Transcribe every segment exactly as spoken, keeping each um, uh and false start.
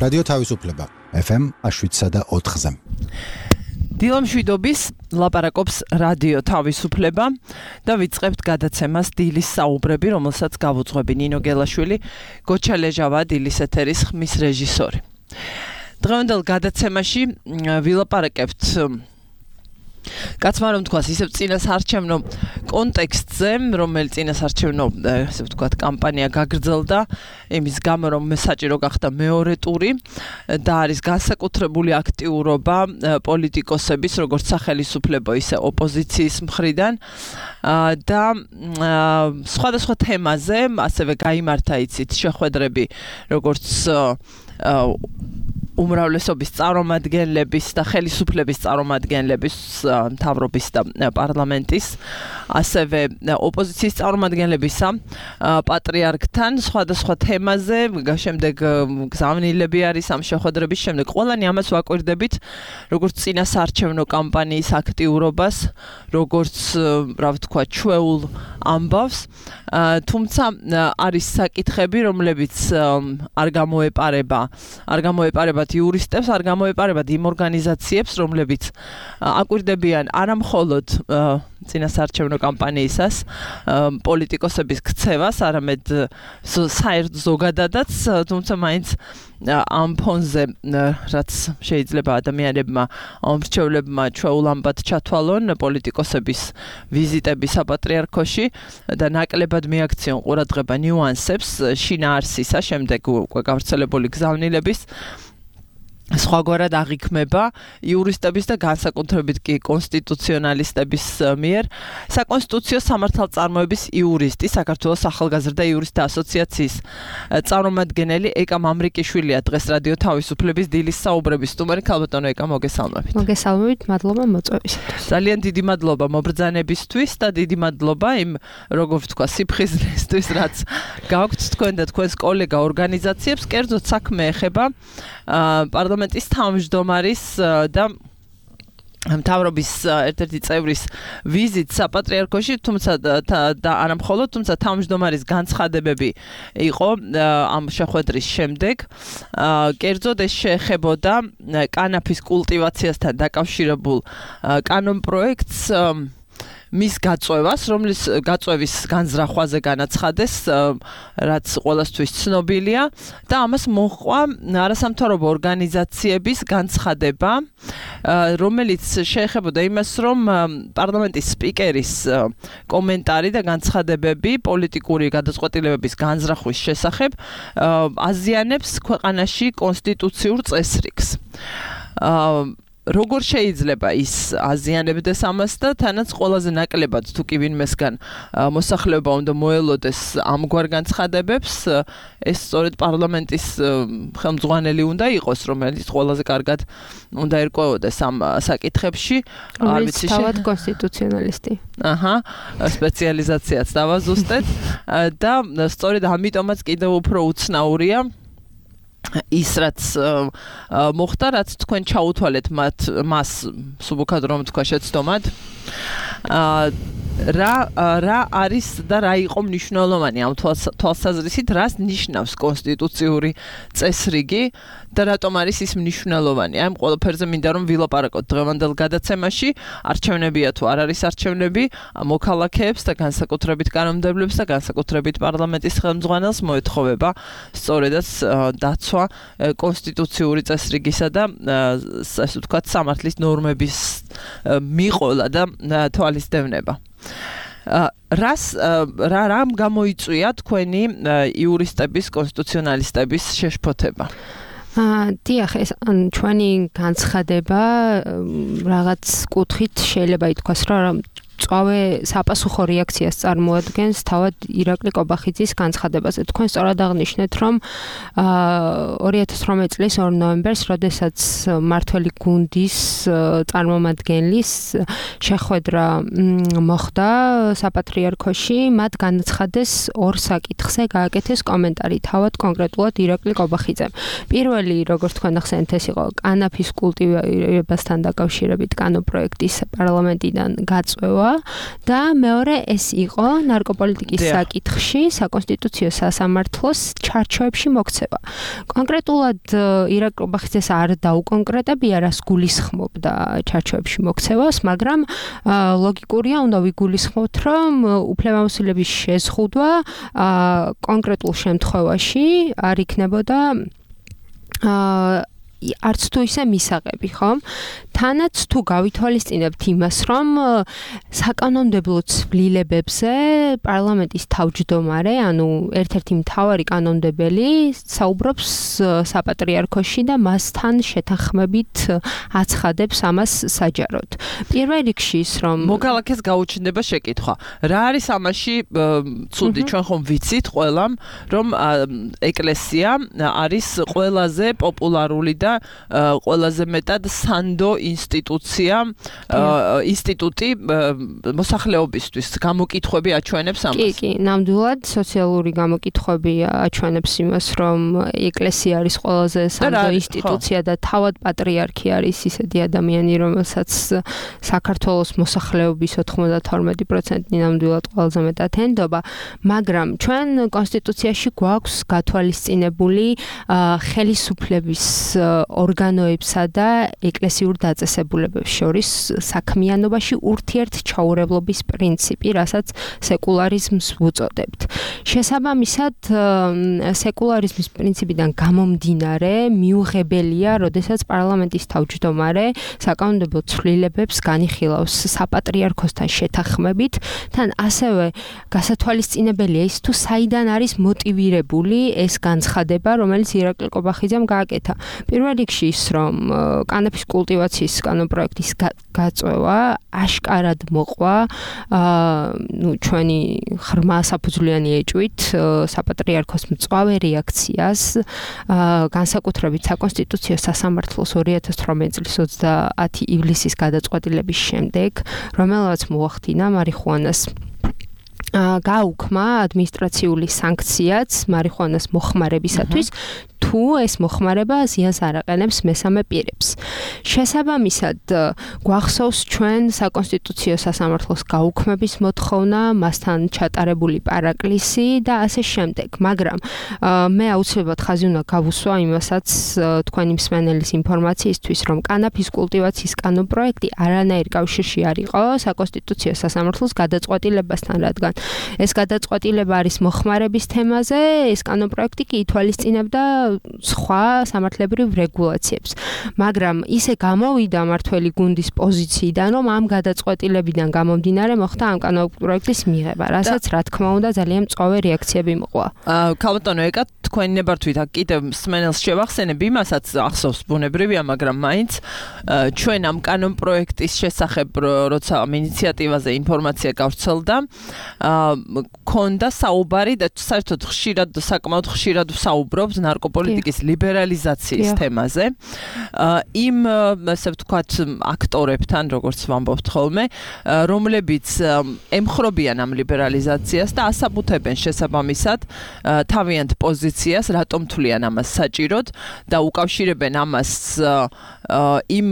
რადიო თავისუფლება ეფ ემ შვიდსა და ოთხზე. დილა მშვიდობის ლაპარაკობს რადიო თავისუფლება და ვიწყებთ გადაცემას დილის საუბრები, რომელსაც გავუძღვები ნინო გელაშვილი, გოჩა ლეჟავა დილის ეთერის ხმის რეჟისორი. დღევანდელ გადაცემაში ვილაპარაკებთ კაცმა რომ თქვას ისევ წინასარჩევნო კონტექსტზე, რომელიც წინასარჩევნო ესე ვთქვათ კამპანია გაგრძელდა იმის გამო რომ საჭირო გახდა მეორე ტური და არის განსაკუთრებული აქტიურობა პოლიტიკოსების როგორც სახელისუფლებო ისე ოპოზიციის მხრიდან და სხვადასხვა თემაზე ასევე გაიმართა იცით შეხვედრები როგორც უმრავლესობის წარმომადგენლების და ხელისუფლების წარმომადგენლების მთავრობის და პარლამენტის ასევე ოპოზიციის წარმომადგენლებისა პატრიარქთან სხვადასხვა თემაზე შემდეგ გზავნილები არის ამ შეხვედრების შემდეგ ყველანი ამას ვაკვირდებით როგორც წინასარჩევნო კამპანიის აქტიურობას როგორც რა ვთქვა ჩვეულ ამბავს თუმცა არის საკითხები რომლებიც არ გამოეპარება არ გამოეპარება იურისტებს არ გამოეპარებათ იმ ორგანიზაციებს, რომლებიც აკვირდებიან არა მხოლოდ წინასარჩევნო კამპანიისას პოლიტიკოსების ქცევას, არამედ საერთოდ ზოგადადაც, თუმცა მაინც ამ ფონზე რაც შეიძლება ადამიანებმა მრჩევლებმა ჩვეულ ამბად ჩათვალონ პოლიტიკოსების ვიზიტები საპატრიარქოში და ნაკლებად მიაქციონ ყურადღება ნიუანსებს შინაარსისა შემდეგ უკვე გავრცელებული გზავნილების სხვაგვარად აღიქმება იურისტების და განსაკუთრებით კი კონსტიტუციონალისტების მიერ საკონსტიტუციო სამართალწარმოების იურისტი საქართველოს ახალგაზრდა იურისტთა ასოციაციის წარმომადგენელი ეკა მამრიკიშვილია დღეს რადიო თავისუფლების დილის საუბრების სტუმარი. ქალბატონო ეკა, მოგესალმებით. მოგესალმებით, მადლობა მოწვევისათვის. ძალიან დიდი მადლობა მობრძანებისთვის და დიდი მადლობა იმ როგორ ვთქვა სიფხიზლისთვის რაც გაქვთ თქვენ და თქვენს კოლეგა ორგანიზაციებს. კერძოდ საქმე ეხება პარლამენტის თავმჯდომარის და მთავრობის ერთ-ერთი წევრის ვიზიტ საპატრიარქოში, თუმცა და არა მხოლოდ, თუმცა თავმჯდომარის განცხადებები იყო ამ შეხვედრის შემდეგ. კერძოდ ეს შეეხებოდა კანაფის კულტივაციასთან დაკავშირებულ კანონპროექტს მის გაწევას, რომლის გაწევის განზრახვაზე განაცხადეს, რაც ყველასთვის ცნობილია და ამას მოჰყვა არასამთავრობო ორგანიზაციების განცხადება, რომელიც შეეხებოდა იმას, რომ პარლამენტის სპიკერის კომენტარი და განცხადებები პოლიტიკური გადაწყვეტილებების განზრახვის შესახებ აზიანებს ქვეყანაში კონსტიტუციურ წესრიგს. როგორ შეიძლება ის აზიანებდეს ამას და თანაც ყველაზე ნაკლებად თუ კი ვინმესგან მოსახლეობა უნდა მოელოდეს ამგვარ განცხადებებს, ეს სწორედ პარლამენტის ხელმძღვანელი უნდა იყოს, რომელიც ყველაზე კარგად უნდა ერკვეოდეს ამ საკითხებში. არ ვიცი, თავად კონსტიტუციონალისტი. აჰა, სპეციალიზაციაც დავაზუსტეთ და სწორედ ამიტომაც კიდევ უფრო უცნაურია ის რაც მოხდა, რაც თქვენ ჩაუთვალეთ მათ მას სუბუქად რომ თქვა შეცდომად რა რა არის და რა იყო მნიშვნელოვანი ამ თვალსაზრისით, რას ნიშნავს კონსტიტუციური წესრიგი და რატომ არის ის მნიშვნელოვანი. აი ამ ყველაფერზე მინდა რომ ვილაპარაკოთ დღევანდელ გადაცემაში. არჩევნებია თუ არ არის არჩევნები, მოქალაქეებს და განსაკუთრებით კანონმდებლებს და განსაკუთრებით პარლამენტის ხელმძღვანელს მოეთხოვება სწორედაც დაცვა კონსტიტუციური წესრიგისა და ასე ვთქვათ სამართლის ნორმების მიყოლა და თვალისდევნება. რას რა რამ გამოიწვია თქვენი იურისტების, კონსტიტუციონალისტების შეშფოთება? დიახ, ეს ჩვენი განცხადება რაღაც კუთხით შეიძლება ითქვას, რომ წავე საპასუხო რეაქციას წარმოადგენს თავად ირაკლი კობახიძის განცხადებაზე. თქვენ სწორად აღნიშნეთ, რომ ორი ათას ორმეტ წლის ორ ნოემბერს, როდესაც მართველი გუნდის წარმომადგენლის შეხვედრა მოხდა საპატრიარქოში, მათ განაცხადეს ორ საკითხზე გააკეთეს კომენტარი თავად კონკრეტულად ირაკლი კობახიძემ. პირველი, როგორც თქვენ ახსენეთ, ეს იყო კანაფის კულტივირებასთან დაკავშირებით კანონპროექტის პარლამენტიდან გაწევა მოხდა და მეორე ეს იყო ნარკოპოლიტიკის საკითხში საკონსტიტუციო სასამართლოს ჩარჩოებში მოქცევა. კონკრეტულად ირაკლი ყობახიძეს არ დაუკონკრეტებია, რას გულისხმობდა ჩარჩოებში მოქცევას, მაგრამ ლოგიკურია, უნდა ვიგულისხმოთ, რომ უფლებამოსილების შეზღუდვა კონკრეტულ შემთხვევაში არ იქნებოდა აა არც თუ ისე მისაღები, ხო? თანაც თუ გავითვალისწინებთ იმას, რომ საკანონმდებლო ცვლილებებზე პარლამენტის თავმჯდომარე, ანუ ერთ-ერთი მთავარი კანონმდებელი საუბრობს საპატრიარქოში და მასთან შეთანხმებით აცხადებს ამას საჯაროდ. პირველ რიგში ის რომ მოქალაქეს გაუჩნდება შეკითხვა. რა არის ამაში ცუდი? ჩვენ ხომ ვიცით ყველამ, რომ ეკლესია არის ყველაზე პოპულარული და ყველაზე მეტად სანდო ინსტიტუცია, ინსტიტუტი მოსახლეობისთვის. გამოკითხვები აჩვენებს ამას. კი, კი, ნამდვილად სოციალური გამოკითხვები აჩვენებს იმას, რომ ეკლესია არის ყველაზე სანდო ინსტიტუცია და თავად პატრიარქი არის ისეთი ადამიანი, რომელსაც საქართველოს მოსახლეობის ოცდათორმეტი პროცენტი ნამდვილად ყველაზე მეტად ენდობა, მაგრამ ჩვენ კონსტიტუციაში გვაქვს გათვალისწინებული ხელისუფლების ორგანოებსა და ეკლესიურ დაწესებულებებს შორის საქმიანობაში ურთიერთჩაურევლობის პრინციპი, რასაც სეკულარიზმს ვუწოდებთ. შესაბამისად, სეკულარიზმის პრინციპიდან გამომდინარე, მიუღებელია, როდესაც პარლამენტის თავმჯდომარე საკანონმდებლო ცვლილებებს განიხილავს საპატრიარქოსთან შეთანხმებით, თან ასევე გასათვალისწინებელია ის თუ საიდან არის მოტივირებული ეს განცხადება, რომელიც ირაკლი ყობახიძემ გააკეთა. პირველ რიგში ის, რომ კანაფის კულტივაციის კანონპროექტის გაწევა აშკარად მოყვა, ნუ ჩვენი ღრმა საფუძვლიანი ეჭვით საპატრიარქოს მწვავე რეაქციას, განსაკუთრებით საკონსტიტუციო სასამართლოს ორი ათას თვრამეტი წლის ოცდაათი ივლისის გადაწყვეტილების შემდეგ, რომელმაც მოახდინა მარიხუანას გააუქმა ადმინისტრაციული სანქციაც მარიხუანას მოხმარებისათვის, თუ ეს მოხმარება ზიანს არ აყენებს მესამე პირებს. შესაბამისად, გვახსოვს ჩვენ საკონსტიტუციო სასამართლოს გაუქმების მოთხოვნა, მასთან ჩატარებული პარაკლისი და ასე შემდეგ. მაგრამ მე აუცილებლად ხაზი უნდა გავუსვა იმასაც თქვენი მსმენელის ინფორმაციისთვის, რომ კანაფის კულტივაციის კანონპროექტი არანაირ კავშირში არ იყო საკონსტიტუციო სასამართლოს გადაწყვეტილებასთან, რადგან ეს გადაწყვეტილება არის მოხმარების თემაზე, ეს კანონპროექტი კი ითვალისწინებდა სხვა სამართლებრივ რეგულაციებს. მაგრამ ისე გამოვიდა მართველი გუნდის პოზიციიდან, რომ ამ გადაწყვეტილებიდან გამომდინარე მოხდა ამ კანონპროექტის მიღება, რასაც რა თქმა უნდა ძალიან მწვავე რეაქციები მოყვა. ქალბატონო ეკა, თქვენი ნებართვით კიდევ მსმენელს შევახსენებ იმასაც, ახსოვს ბუნებრივია, მაგრამ მაინც ჩვენ ამ კანონპროექტის შესახებ, როცა ამ ინიციატივაზე ინფორმაცია გავრცელდა, ქონდა საუბარი და საერთოდ ხშირად საკმაოდ ხშირად ვსაუბრობთ ნარკოპოლიტიკის ლიბერალიზაციის თემაზე. იმ ასე ვთქვათ აქტორებთან, როგორც ვამბობთ ხოლმე, რომლებიც ემხრობიან ამ ლიბერალიზაციას და ასაბუთებენ შესაბამისად თავიანთ პოზიციას, რატომ თვლიან ამას საჭიროდ და უკავშირებენ ამას იმ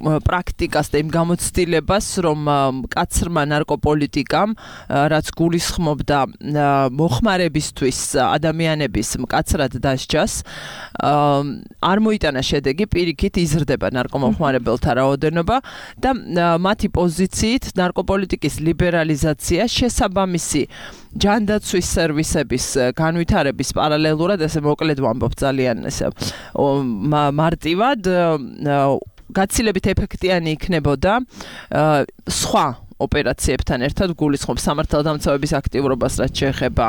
პრაქტიკას და იმ გამოცდილებას, რომ მკაცრმა ნარკოპოლიტიკამ, რაც გულისხმობდა მოხმარებისთვის ადამიანების მკაცრად დასჯას, არ მოიტანა შედეგი, პირიქით იზრდება ნარკომოხმარებელთა რაოდენობა და მათი პოზიციით ნარკოპოლიტიკის ლიბერალიზაცია შესაბამისი ჯანდაცვის სერვისების განვითარების პარალელურად, ესე მოკლედ ვამბობ ძალიან ესე მარტივად, გაცილებით ეფექტიანი იქნებოდა სხვა ოპერაციებთან ერთად გულისხმობს სამართალდამცავების აქტიურობას, რაც შეეხება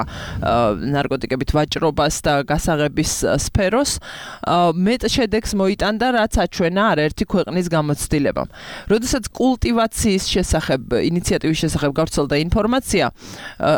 ნარკოტიკებით ვაჭრობას და გასაღების სფეროს, მეტ შედეგს მოიტანდა, რაც აჩვენა არაერთი ქვეყნის გამოცდილებამ. როდესაც კულტივაციის შესახებ, ინიციატივის შესახებ გავრცელდა ინფორმაცია,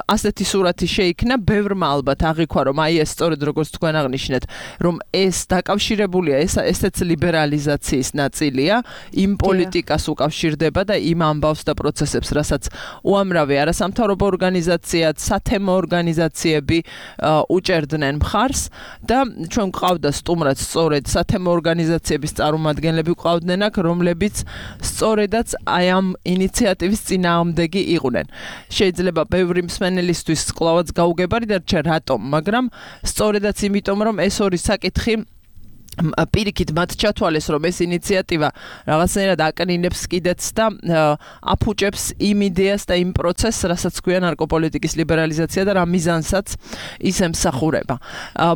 ასეთი სურათი შეიქმნა, ბევრმა ალბათ აღიქვა, რომ აი ეს სწორედ როგორც თქვენ აღნიშნეთ, რომ ეს დაკავშირებულია, ეს ესეც ლიბერალიზაციის ნაწილია, იმ პოლიტიკას უკავშირდება და იმ ამბავს და პროცესებს პროცესებს, რასაც უამრავი არასამთავრობო ორგანიზაციაც, სათემო ორგანიზაციები უჭერდნენ მხარს და ჩვენ გვყავდა სტუმრად სწორედ სათემო ორგანიზაციების წარმომადგენლები გვყავდნენ აქ, რომლებიც სწორედაც აი ამ ინიციატივის წინააღმდეგი იყვნენ. შეიძლება ბევრი მსმენელისთვის კვლავაც გაუგებარი დარჩა რატომ, მაგრამ სწორედაც იმიტომ, რომ ეს ორი საკითხი პირიქით მათ ჩათვალეს, რომ ეს ინიციატივა რაღაცნაირად აკნინებს კიდეც და აფუჭებს იმ იდეას და იმ პროცესს, რასაც ქვია ნარკოპოლიტიკის ლიბერალიზაცია და რა მიზანსაც ის ემსახურება.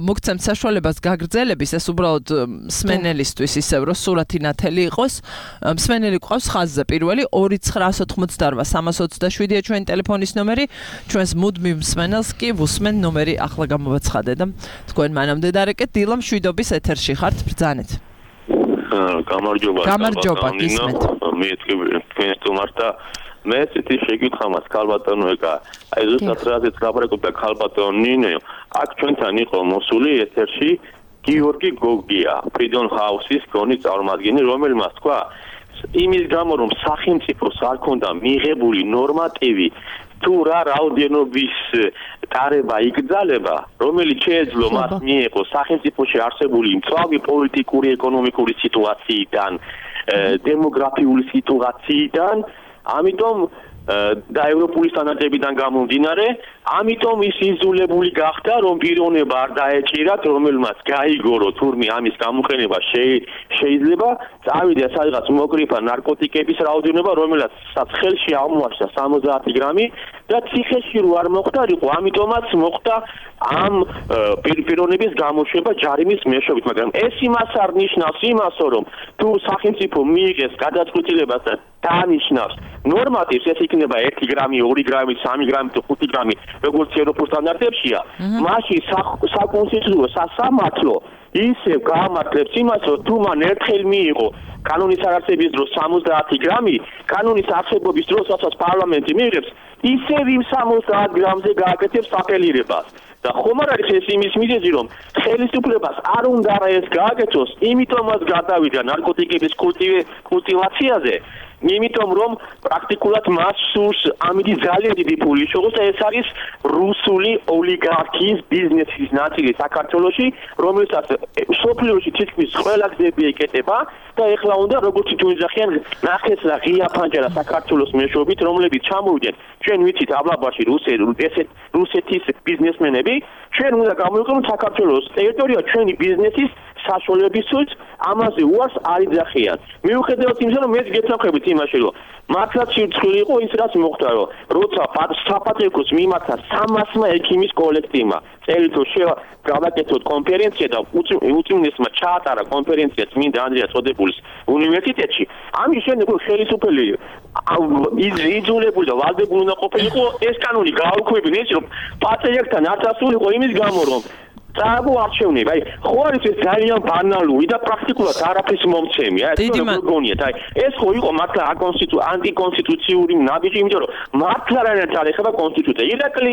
მოგცემთ საშუალებას გაგრძელების, ეს უბრალოდ მსმენელისთვის ისევ, რომ სურათი ნათელი იყოს. მსმენელი გვყავს ხაზზე პირველი ორი ცხრაას ოთხმოცდაორმა სამას ოცდაშვიდია ჩვენი ტელეფონის ნომერი, ჩვენს მუდმივ მსმენელს კი ვუსმენ ნომერი ახლა გამოვაცხადე და თქვენ მანამდე დარეკეთ დილა მშვიდობის ეთერში ხართ ბრძანეთ. გამარჯობა. გამარჯობა გისმენთ. მე თქვენ სტუმართა მე ცეთი შეკითხვა მაქვს ქალბატონო ეკა. აი ზუსტად რაზეც ლაპარაკობდა ქალბატონო ნინო, აქ ჩვენთან იყო მოსული ეთერში გიორგი გოგია, Freedom House-ის გონი წარმომადგენელი, რომელმაც თქვა იმის გამო რომ სახელმწიფოს არ ქონდა მიღებული ნორმატივი თუ რა რაოდენობის დარება იგრძალება, რომელიც შეეძლო მას მიეღო სახელმწიფოში არსებული მწვავი პოლიტიკური, ეკონომიკური სიტუაციიდან, დემოგრაფიული სიტუაციიდან, ამიტომ და ევროპული სტანდარტებიდან გამომდინარე, ამიტომ ის იზოლებული გახდა, რომ პიროვნება არ დაეჭირათ, რომელმაც გაიგორო თურმე ამის გამოყენება შეიძლება წავიდა სადღაც მოკრიფა ნარკოტიკების რაოდენობა, რომელსაც ხელში აღმოაჩნდა სამოცდაათი გრამი და ციხეში რო არ მოხდარიყო, ამიტომაც მოხდა ამ პიროვნების გამოშვება ჯარიმის მეშვეობით, მაგრამ ეს იმას არ ნიშნავს იმას, რომ თუ სახელმწიფო მიიღეს გადაწყვეტილებას და დანიშნავს ნორმატივს, ეს იქნება ერთი გრამი, ორი გრამი, სამი გრამი თუ ხუთი გრამი, როგორც ევროპულ სტანდარტებშია, მაშინ საკონსტიტუციო სასამართლო ისევ გაამართლებს იმას, რომ თუ მან ერთხელ მიიღო კანონის არარსების დროს სამოცდაათი გრამი, კანონის არსებობის დროს, რასაც პარლამენტი მიიღებს, ისევ იმ სამოცდაათ გრამზე გააკეთებს აპელირებას. და ხომ არ არის ეს იმის მიზეზი, რომ ხელისუფლებას არ უნდა ეს გააკეთოს, იმიტომაც გადავიდა ნარკოტიკების კულტივაციაზე, იმიტომ რომ პრაქტიკულად მას სურს ამით ძალიან დიდი ფული შეღოს და ეს არის რუსული ოლიგარქიის ბიზნესის ნაწილი საქართველოში, რომელსაც სოფლიოში თითქმის ყველა გზები ეკეტება და ეხლა უნდა როგორც თუ იძახიან ნახეს რა ღია ფანჯარა საქართველოს მეშვეობით, რომლებიც ჩამოვიდნენ ჩვენ ვიცით აბლაბაში რუსეთის ბიზნესმენები, ჩვენ უნდა გამოვიყენოთ საქართველოს ტერიტორია ჩვენი ბიზნესის საშუალებისთვის, ამაზე უარს არ იძახიან. მიუხედავად იმისა, რომ მეც გეთანხმებით იმაში, რომ მართლაც სირცხვილი იყო ის, რაც მოხდა, რომ როცა საპატრიარქოს მიმართა სამასმა ექიმის კოლექტივმა წელიწადში შევა გავაკეთოთ კონფერენცია და უწმინდესმა ჩაატარა კონფერენცია წმინდა ანდრია წოდებულის უნივერსიტეტში. ამის შემდეგ ხელისუფლები იძულებული და ვალდებული უნდა ყოფილიყო ეს კანონი გააუქმებინა, ის რომ პატრიარქთან არ დასულიყო იმის გამო, რომ წააგო არჩევნები, აი, ხო არის ეს ძალიან ბანალური და პრაქტიკულად არაფრის მომცემი, აი, ეს როგორგონიათ, აი, ეს ხო იყო მართლა აკონსტიტუ ანტიკონსტიტუციური ნაბიჯი, იმიტომ რომ მართლა რანაც არ ეხება კონსტიტუცია. ირაკლი,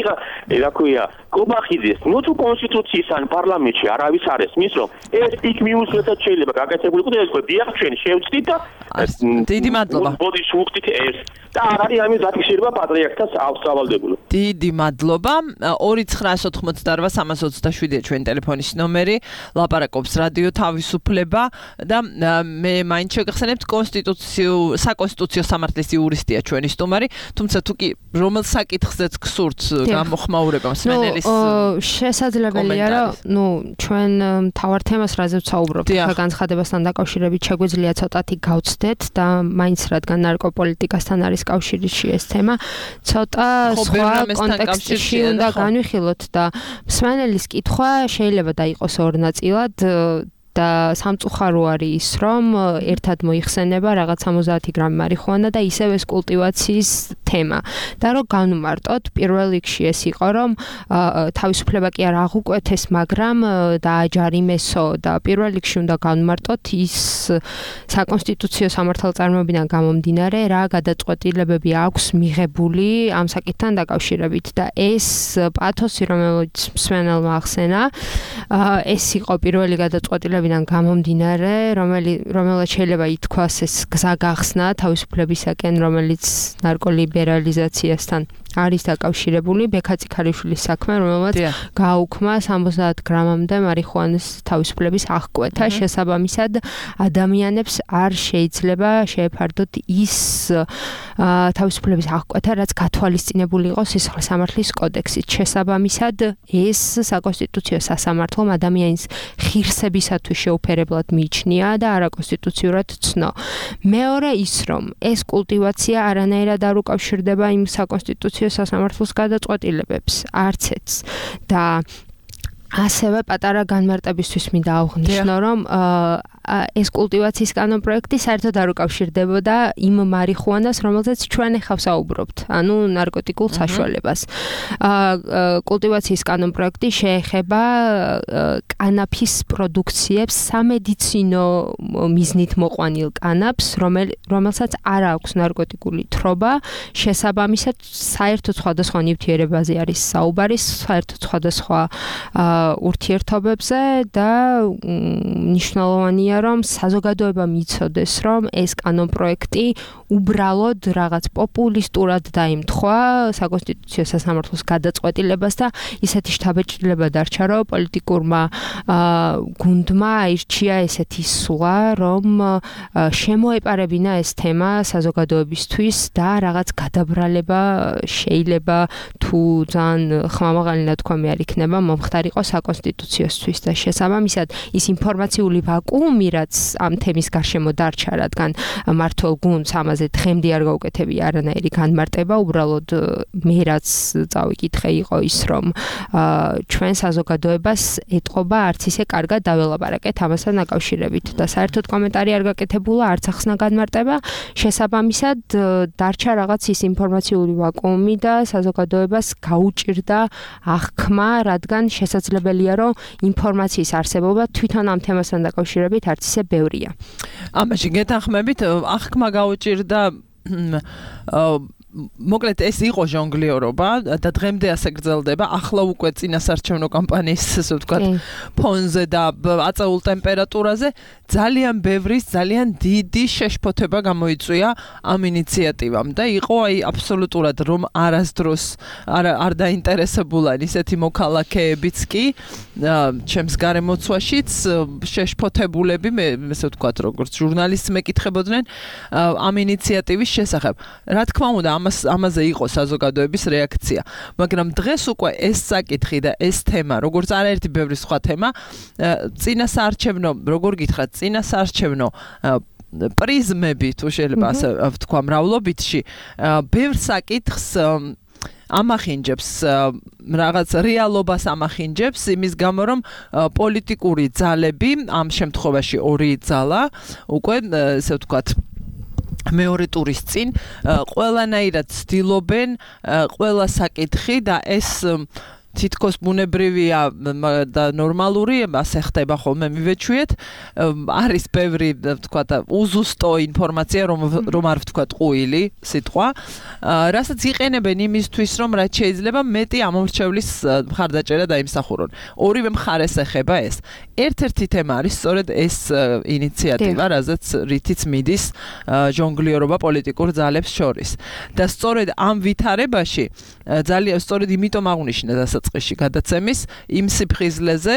რა ქვია, კობახიძეს, ნუ თუ კონსტიტუციის ან პარლამენტში არავის არ ესმის, რომ ეს იქ მიუსვლელად შეიძლება გაკეთებულიყო და ეს ხო დიახ ჩვენ შევწდით და დიდი მადლობა. ბოდიშ უხდით ეს და არ არის ამის დაფიქსირება პატრიარქთან ავსავალდებული. დიდი მადლობა. ორი ცხრაას ოთხმოცდაორმა სამას ოცდაშვიდია ჩვენი ტელეფონის ნომერი, ლაპარაკობს რადიო თავისუფლება და მე მაინც შეგახსენებთ კონსტიტუციო საკონსტიტუციო სამართლის იურისტია ჩვენი სტუმარი, თუმცა თუ კი რომელ საკითხზეც გსურთ გამოხმაურება მსმენელის შესაძლებელია რომ ნუ ჩვენ მთავარ თემას რაზეც საუბრობთ განცხადებასთან დაკავშირებით შეგვიძლია ცოტათი გავცდეთ და მაინც რადგან ნარკოპოლიტიკასთან არის კავშირში ეს თემა ცოტა სხვა კონტექსტში უნდა განვიხილოთ და მსმენელის კითხვა შეიძლება დაიყოს ორ ნაწილად და სამწუხარო არის ის, რომ ერთად მოიხსენება რაღაც სამოცდაათი გრამი მარიხუანა და ისევ ეს კულტივაციის თემა. და რომ განვმარტოთ, პირველ რიგში ეს იყო, რომ თავისუფლება კი არ აღუკვეთეს, მაგრამ დააჯარიმესო და პირველ რიგში უნდა განვმარტოთ ის საკონსტიტუციო სამართალწარმოებიდან გამომდინარე, რა გადაწყვეტილებები აქვს მიღებული ამ საკითხთან დაკავშირებით და ეს პათოსი, რომელიც მსმენელმა ახსენა, ეს იყო პირველი გადაწყვეტილება მიზნებიდან გამომდინარე, რომელსაც შეიძლება ითქვას ეს გზა გახსნა თავისუფლებისაკენ, რომელიც ნარკოლიბერალიზაციასთან არის დაკავშირებული, ბექა წიქარიშვილის საქმე, რომელმაც გააუქმა სამოცდაათ გრამამდე მარიხუანის თავისუფლების აღკვეთა, შესაბამისად ადამიანებს არ შეიძლება შეეფარდოთ ის თავისუფლების აღკვეთა, რაც გათვალისწინებული იყო სისხლის სამართლის კოდექსით. შესაბამისად, ეს საკონსტიტუციო სასამართლომ ადამიანის ღირსებისათვის შეუფერებლად მიიჩნია და არაკონსტიტუციურად ცნო. მეორე ის, რომ ეს კულტივაცია არანაირად არ უკავშირდება იმ საკონსტიტუციო სასამართლოს გადაწყვეტილებებს, არცეც და ასევე პატარა განმარტებისთვის მინდა აღვნიშნო, რომ ეს კულტივაციის კანონპროექტი საერთოდ არ უკავშირდებოდა იმ მარიხუანას, რომელზეც ჩვენ ახლა ვსაუბრობთ, ანუ ნარკოტიკულ საშუალებას. კულტივაციის კანონპროექტი შეეხება კანაფის პროდუქციებს, სამედიცინო მიზნით მოყვანილ კანაფს, რომელსაც არ აქვს ნარკოტიკული თრობა, შესაბამისად საერთოდ სხვადასხვა ნივთიერებაზე არის საუბარი, საერთოდ სხვადასხვა ურთიერთობებზე და მნიშვნელოვანია რომ საზოგადოება მიცოდეს, რომ ეს კანონპროექტი უბრალოდ რაღაც პოპულისტურად დაემთხვა საკონსტიტუციო სასამართლოს გადაწყვეტილებას და ისეთი შთაბეჭდილება დარჩა, რომ პოლიტიკურმა გუნდმა აირჩია ესეთი სულა, რომ შემოეპარებინა ეს თემა საზოგადოებისთვის და რაღაც გადაბრალება შეიძლება თუ ძალიან ხმამაღალი ნათქვამი არ იქნება მომხდარიყო საკონსტიტუციოსთვის და შესაბამისად ის ინფორმაციული ვაკუუმი რაც ამ თემის გარშემო დარჩა, რადგან მართლ გუნდს ამაზე დღემდე არ გაუკეთებია არანაირი განმარტება, უბრალოდ მე რაც წავიკითხე იყო ის, რომ ჩვენ საზოგადოებას ეტყობა არც ისე კარგად დაველაპარაკეთ ამასთან დაკავშირებით და საერთოდ კომენტარი არ გაკეთებულა, არც ახსნა განმარტება, შესაბამისად დარჩა რაღაც ის ინფორმაციული ვაკუუმი და საზოგადოებას გაუჭირდა აღქმა, რადგან შესაძლებელია, რომ ინფორმაციის არსებობა თვითონ ამ თემასთან დაკავშირებით არც ისე ბევრია. ამაში გეთანხმებით, აღქმა გაუჭირდა მოკლედ ეს იყო ჟონგლიორობა და დღემდე ასე გრძელდება. ახლა უკვე წინასარჩევნო კამპანიის ასე ვთქვათ ფონზე და აწეულ ტემპერატურაზე ძალიან ბევრის ძალიან დიდი შეშფოთება გამოიწვია ამ ინიციატივამ და იყო აი აბსოლუტურად რომ არასდროს არ არ დაინტერესებულან ისეთი მოქალაქეებიც კი ჩემს გარემოცვაშიც შეშფოთებულები მე ასე ვთქვათ როგორც ჟურნალისტს მეკითხებოდნენ ამ ინიციატივის შესახებ. რა თქმა უნდა ამაზე იყო საზოგადოების რეაქცია, მაგრამ დღეს უკვე ეს საკითხი და ეს თემა, როგორც არაერთი ბევრი სხვა თემა, წინასაარჩევნო, როგორ გითხრათ, წინასაარჩევნო პრიზმები თუ შეიძლება ასე ვთქვა მრავლობითში, ბევრ საკითხს ამახინჯებს რაღაც რეალობას ამახინჯებს იმის გამო რომ პოლიტიკური ძალები ამ შემთხვევაში ორი ძალა უკვე ასე ვთქვათ მეორე ტურის წინ ყველანაირად ცდილობენ ყველა საკითხი და ეს თითქოს ბუნებრივია და ნორმალური, ასე ხდება ხოლმე მივეჩვიეთ. არის ბევრი, ვთქვათ, უზუსტო ინფორმაცია, რომ რომ არ ვთქვათ ყუილი სიტყვა, რასაც იყენებენ იმისთვის, რომ რაც შეიძლება მეტი ამორჩევლის მხარდაჭერა დაიმსახურონ. ორივე მხარეს ეხება ეს. ერთ-ერთი თემა არის სწორედ ეს ინიციატივა, რაზეც რითიც მიდის ჟონგლიორობა პოლიტიკურ ძალებს შორის. და სწორედ ამ ვითარებაში ძალიან სწორედ იმიტომ აღნიშნა დასაწყისში გადაცემის იმ სიფხიზლეზე,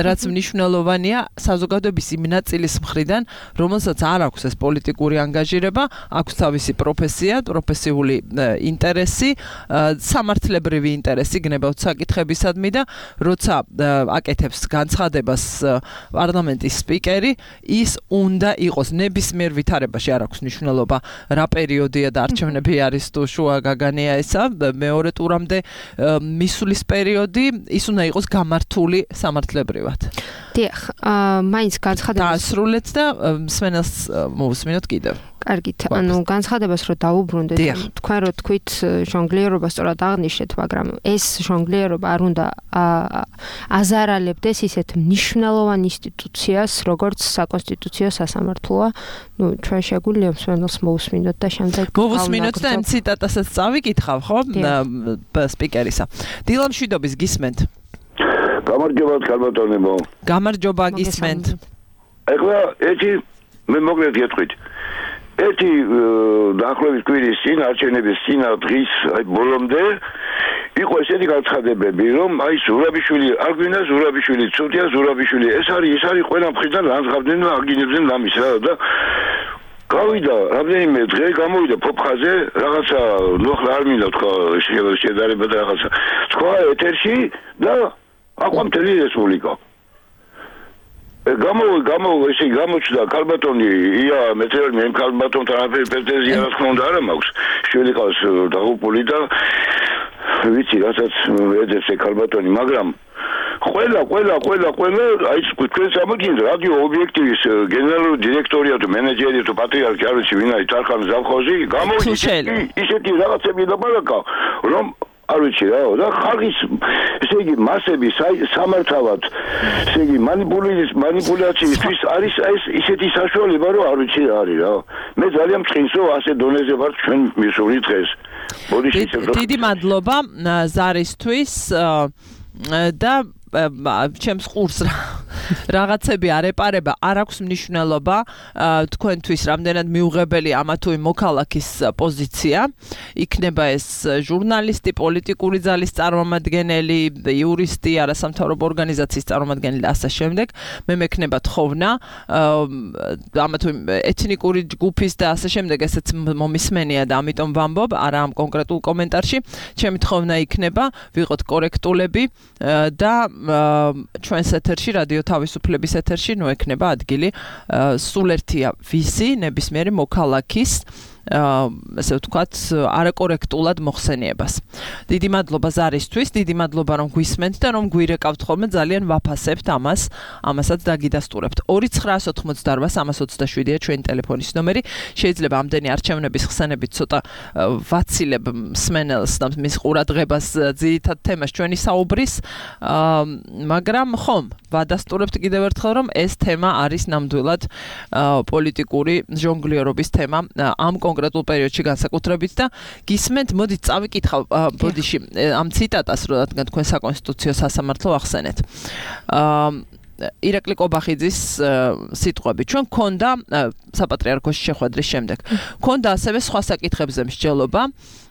რაც მნიშვნელოვანია საზოგადოების იმ ნაწილის მხრიდან, რომელსაც არ აქვს ეს პოლიტიკური ანგაჟირება, აქვს თავისი პროფესია, პროფესიული ინტერესი, სამართლებრივი ინტერესი გნებავთ საკითხებისადმი და როცა აკეთებს განცხადებას პარლამენტის სპიკერი, ის უნდა იყოს ნებისმიერ ვითარებაში, არ აქვს მნიშვნელობა რა პერიოდია და არჩევნები არის თუ შუა გაგანია ესა, მეორე ტურამდე მისulis პერიოდი, ის უნდა იყოს გამართული სამართლებრივად. დიახ, მაინც განცხადებას დაასრულეთ და მსმენელს მოვუსმინოთ კიდევ. კარგით, ანუ განცხადებას რო დაუბრუნდეთ, თქვენ რო თქვით ჟონგლიორობა სწორად აღნიშნეთ, მაგრამ ეს ჟონგლიორობა არ უნდა აზარალებდეს ისეთ მნიშვნელოვან ინსტიტუციას, როგორც საკონსტიტუციო სასამართლოა. ნუ ჩვენ შეგვიძლია მსმენელს მოვუსმინოთ და შემდეგ მოვუსმინოთ და ამ ციტატასაც წავიკითხავ, ხო? სპიკერისა. დილამშვიდობის გისმენთ. გამარჯობა, ქალბატონებო. გამარჯობა, გისმენთ. ეხლა ერთი მე მოკლედ გეტყვით. ერთი დაახლოებით კვირის წინ არჩევნების წინ დღის აი ბოლომდე იყო ესეთი განცხადებები, რომ აი ზურაბიშვილი არ გვინდა ზურაბიშვილი ცუდია ზურაბიშვილი ეს არის ეს არის ყველა მხრიდან განსხვავდნენ და აგინებდნენ ამის რა და გავიდა რამდენიმე დღე გამოვიდა ფოფხაზე რაღაცა ნუ ახლა არ მინდა თქვა შედარება და რაღაცა თქვა ეთერში და აყვა მთელი რესპუბლიკა გამო გამო ესე გამოჩნდა ქალბატონი ია მეცერი მე ქალბატონთან არაფერი პრეტენზია რა თქმა უნდა არ მაქვს შვილი ყავს დაღუპული და ვიცი რასაც ეძებს ქალბატონი მაგრამ ყველა ყველა ყველა ყველა აი თქვენ სამოგინდა რადიო ობიექტივის გენერალური დირექტორია თუ მენეჯერია თუ პატრიარქი არ ვიცი ვინ არის თარხან ზავხოზი გამოვიდა ისეთი რაღაცები და ბალაკა რომ არ ვიცი რა და ხალხის ესე იგი მასები სამართავად ესე იგი მანიპულაციის მანიპულაციისთვის არის ეს ისეთი საშუალება რომ არ ვიცი რა არის რა მე ძალიან მწყინსო ასე დონეზე ვარ ჩვენ მისული დღეს დიდი მადლობა ზარისთვის და ჩემს ყურს რაღაცები არ ეპარება, არ აქვს მნიშვნელობა თქვენთვის რამდენად მიუღებელი ამა თუ იმ მოქალაქის პოზიცია. იქნება ეს ჟურნალისტი, პოლიტიკური ძალის წარმომადგენელი, იურისტი, არასამთავრობო ორგანიზაციის წარმომადგენელი და ასე შემდეგ. მე მექნება თხოვნა ამა თუ იმ ეთნიკური ჯგუფის და ასე შემდეგ ესეც მომისმენია და ამიტომ ვამბობ, არა ამ კონკრეტულ კომენტარში. ჩემი თხოვნა იქნება ვიყოთ კორექტულები და ჩვენს ეთერში რადიო თავისუფლების ეთერში ნუ ექნება ადგილი სულ ერთია ვისი ნებისმიერი მოქალაქის ასე ვთქვათ არაკორექტულად მოხსენიებას. დიდი მადლობა ზარისთვის, დიდი მადლობა რომ გვისმენთ და რომ გვირეკავთ ხოლმე ძალიან ვაფასებთ ამას, ამასაც დაგიდასტურებთ. ორი ცხრაას ოცდაოთხ სამას ოცდაშვიდია ჩვენი ტელეფონის ნომერი. შეიძლება ამდენი არჩევნების ხსენებით ცოტა ვაცილებ მსმენელს და მის ყურადღებას ძირითად თემას ჩვენი საუბრის, მაგრამ ხომ ვადასტურებთ კიდევ ერთხელ რომ ეს თემა არის ნამდვილად პოლიტიკური ჟონგლიორობის თემა ამ კონკრეტულ პერიოდში განსაკუთრებით და გისმენთ, მოდით წავიკითხავ ბოდიში ამ ციტატას, რადგან თქვენ საკონსტიტუციო სასამართლო ახსენეთ. ირაკლი კობახიძის სიტყვები. ჩვენ გქონდა საპატრიარქოს შეხვედრის შემდეგ. გქონდა ასევე სხვა საკითხებზე მსჯელობა,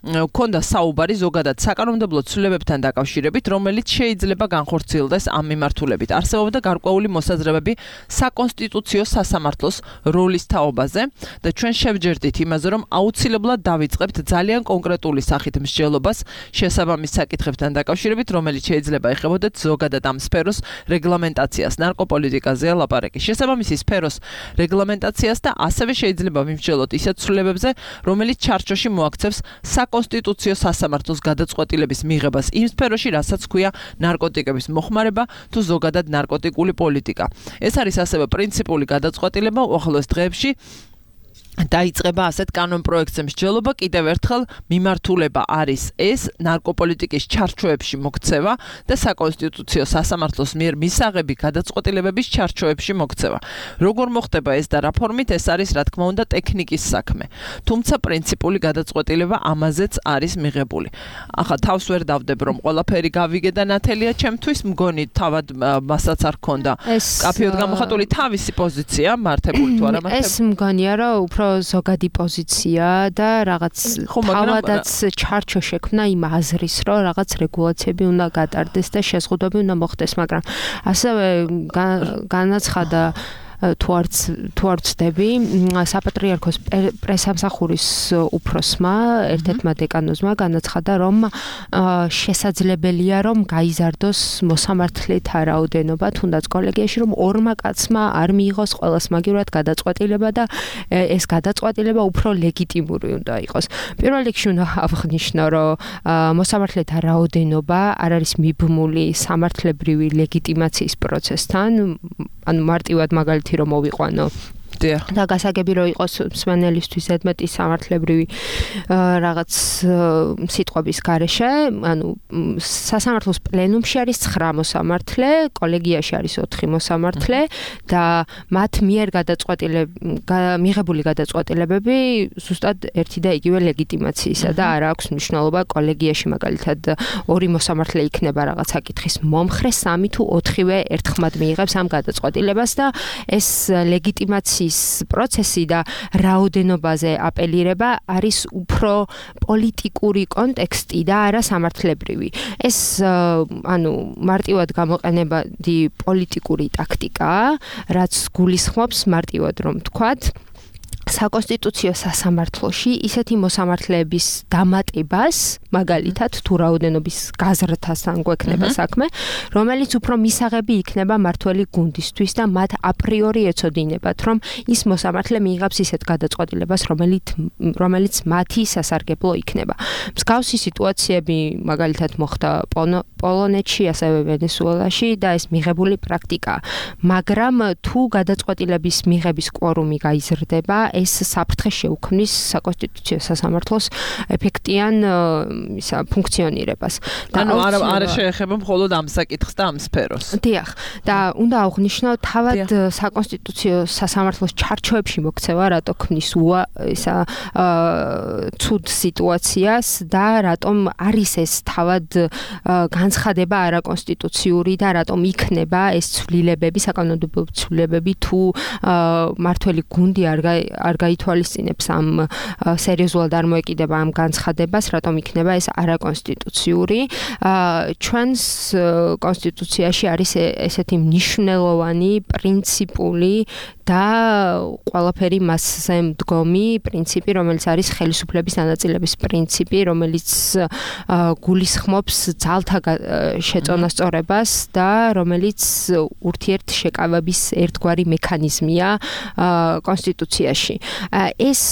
გქონდა საუბარი ზოგადად საკანონმდებლო ცვლილებებთან დაკავშირებით, რომელიც შეიძლება განხორციელდეს ამ მიმართულებით. არსებობდა გარკვეული მოსაზრებები საკონსტიტუციო სასამართლოს როლის თაობაზე და ჩვენ შევჯერდით იმაზე, რომ აუცილებლად დავიწყებთ ძალიან კონკრეტული სახით მსჯელობას შესაბამის საკითხებთან დაკავშირებით, რომელიც შეიძლება ეხებოდეთ ზოგადად ამ სფეროს რეგლამენტაციას. ნარკოპოლიტიკაზეა ლაპარაკი. შესაბამისი სფეროს რეგლამენტაციას და ასევე შეიძლება ვიმსჯელოთ ისეთ ცვლილებებზე, რომელიც ჩარჩოში მოაქცევს საკონსტიტუციო სასამართლოს გადაწყვეტილების მიღებას იმ სფეროში, რასაც ქვია ნარკოტიკების მოხმარება თუ ზოგადად ნარკოტიკული პოლიტიკა. ეს არის ასევე პრინციპული გადაწყვეტილება უახლოეს დღეებში დაიწყება ასეთ კანონპროექტზე მსჯელობა კიდევ ერთხელ მიმართულება არის ეს ნარკოპოლიტიკის ჩარჩოებში მოქცევა და საკონსტიტუციო სასამართლოს მიერ მისაღები გადაწყვეტილებების ჩარჩოებში მოქცევა. როგორ მოხდება ეს და რა ფორმით ეს არის რა თქმა უნდა ტექნიკის საქმე. თუმცა პრინციპული გადაწყვეტილება ამაზეც არის მიღებული. ახლა თავს ვერ დავდებ რომ ყველაფერი გავიგე და ნათელია ჩემთვის მგონი თავად მასაც არ ქონდა კაფეოდ გამოხატული თავისი პოზიცია მართებული თუ არა მართებული. ეს მგონია რომ უფრო ზოგადი პოზიცია და რაღაც თავადაც ჩარჩო შექმნა იმ აზრის, რომ რაღაც რეგულაციები უნდა გატარდეს და შეზღუდვები უნდა მოხდეს, მაგრამ ასევე განაცხადა თუ არც თუ არ ვცდები, საპატრიარქოს პრესამსახურის უფროსმა, ერთ-ერთმა დეკანოზმა განაცხადა, რომ შესაძლებელია, რომ გაიზარდოს მოსამართლეთა რაოდენობა, თუნდაც კოლეგიაში, რომ ორმა კაცმა არ მიიღოს ყველას მაგივრად გადაწყვეტილება და ეს გადაწყვეტილება უფრო ლეგიტიმური უნდა იყოს. პირველ რიგში უნდა აღნიშნო, რომ მოსამართლეთა რაოდენობა არ არის მიბმული სამართლებრივი ლეგიტიმაციის პროცესთან, ანუ მარტივად მაგალითი რომ მოვიყვანო და გასაგები რომ იყოს მსმენელისთვის ზედმეტი სამართლებრივი რაღაც სიტყვების გარეშე, ანუ სასამართლოს პლენუმში არის ცხრა მოსამართლე, კოლეგიაში არის ოთხი მოსამართლე და მათ მიერ მიღებული გადაწყვეტილებები ზუსტად ერთი და იგივე ლეგიტიმაციისა და არ აქვს მნიშვნელობა კოლეგიაში მაგალითად ორი მოსამართლე იქნება რაღაც საკითხის მომხრე, სამი თუ ოთხივე ერთხმად მიიღებს ამ გადაწყვეტილებას და ეს ლეგიტიმაციის პროცესი და რაოდენობაზე აპელირება არის უფრო პოლიტიკური კონტექსტი და არა სამართლებრივი. ეს ანუ მარტივად გამოყენებადი პოლიტიკური ტაქტიკაა, რაც გულისხმობს მარტივად რომ ვთქვათ, საკონსტიტუციო სასამართლოში ისეთი მოსამართლეების დამატებას, მაგალითად თუ რაოდენობის გაზრდასთან გვექნება საქმე, რომელიც უფრო მისაღები იქნება მართველი გუნდისთვის და მათ აპრიორი ეცოდინებათ, რომ ის მოსამართლე მიიღებს ისეთ გადაწყვეტილებას, რომელიც რომელიც მათი სასარგებლო იქნება. მსგავსი სიტუაციები მაგალითად მოხდა პოლონეთში, ასევე ვენესუელაში და ეს მიღებული პრაქტიკაა. მაგრამ თუ გადაწყვეტილების მიღების კვორუმი გაიზრდება, ეს საფრთხე შეუქმნის საკონსტიტუციო სასამართლოს ეფექტიან ისა ფუნქციონირებას. ანუ არ არ შეეხება მხოლოდ ამ საკითხს და ამ სფეროს. დიახ, და უნდა აღვნიშნო თავად საკონსტიტუციო სასამართლოს ჩარჩოებში მოქცევა, რატო ქმნის უა ისა ცუდ სიტუაციას და რატომ არის ეს თავად განცხადება არაკონსტიტუციური და რატომ იქნება ეს ცვლილებები, საკანონმდებლო ცვლილებები თუ მართველი გუნდი არ არ გაითვალისწინებს ამ სერიოზულად არ მოეკიდება ამ განცხადებას, რატომ იქნება ეს არაკონსტიტუციური. ჩვენს კონსტიტუციაში არის ესეთი მნიშვნელოვანი პრინციპული და ყველაფერი მასზე მდგომი პრინციპი, რომელიც არის ხელისუფლების დანაწილების პრინციპი, რომელიც გულისხმობს ძალთა შეწონასწორებას და რომელიც ურთიერთშეკავების ერთგვარი მექანიზმია კონსტიტუციაში. ეს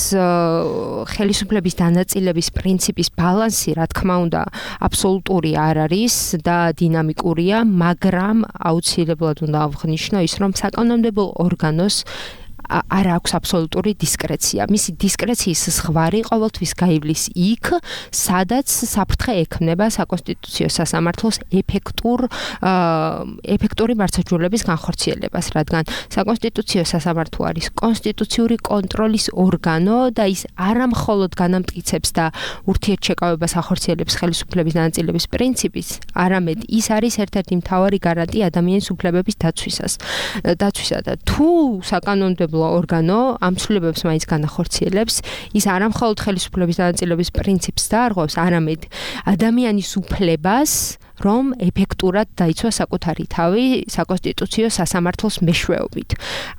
ხელისუფლების დანაწილების პრინციპის ბალანსი, რა თქმა უნდა, აბსოლუტური არ არის და დინამიკურია, მაგრამ აუცილებლად უნდა აღვნიშნო ის, რომ საკანონმდებლო ორგანოს არ აქვს აბსოლუტური დისკრეცია. მისი დისკრეციის ზღვარი ყოველთვის გაივლის იქ, სადაც საფრთხე ექმნება საკონსტიტუციო სასამართლოს ეფექტურ ეფექტური მართლმსაჯულების განხორციელებას, რადგან საკონსტიტუციო სასამართლო არის კონსტიტუციური კონტროლის ორგანო და ის არა მხოლოდ განამტკიცებს და ურთიერთშეკავებას ახორციელებს ხელისუფლების დანაწილების პრინციპის, არამედ ის არის ერთ-ერთი მთავარი გარანტია ადამიანის უფლებების დაცვისას. დაცვისა და თუ საკანონმდებლო ორგანო ამ ცვლილებებს მაინც განახორციელებს, ის არა მხოლოდ ხელისუფლების დანაწილების პრინციპს დაარღვევს, არამედ ადამიანის უფლებას, რომ ეფექტურად დაიცვა საკუთარი თავი საკონსტიტუციო სასამართლოს მეშვეობით.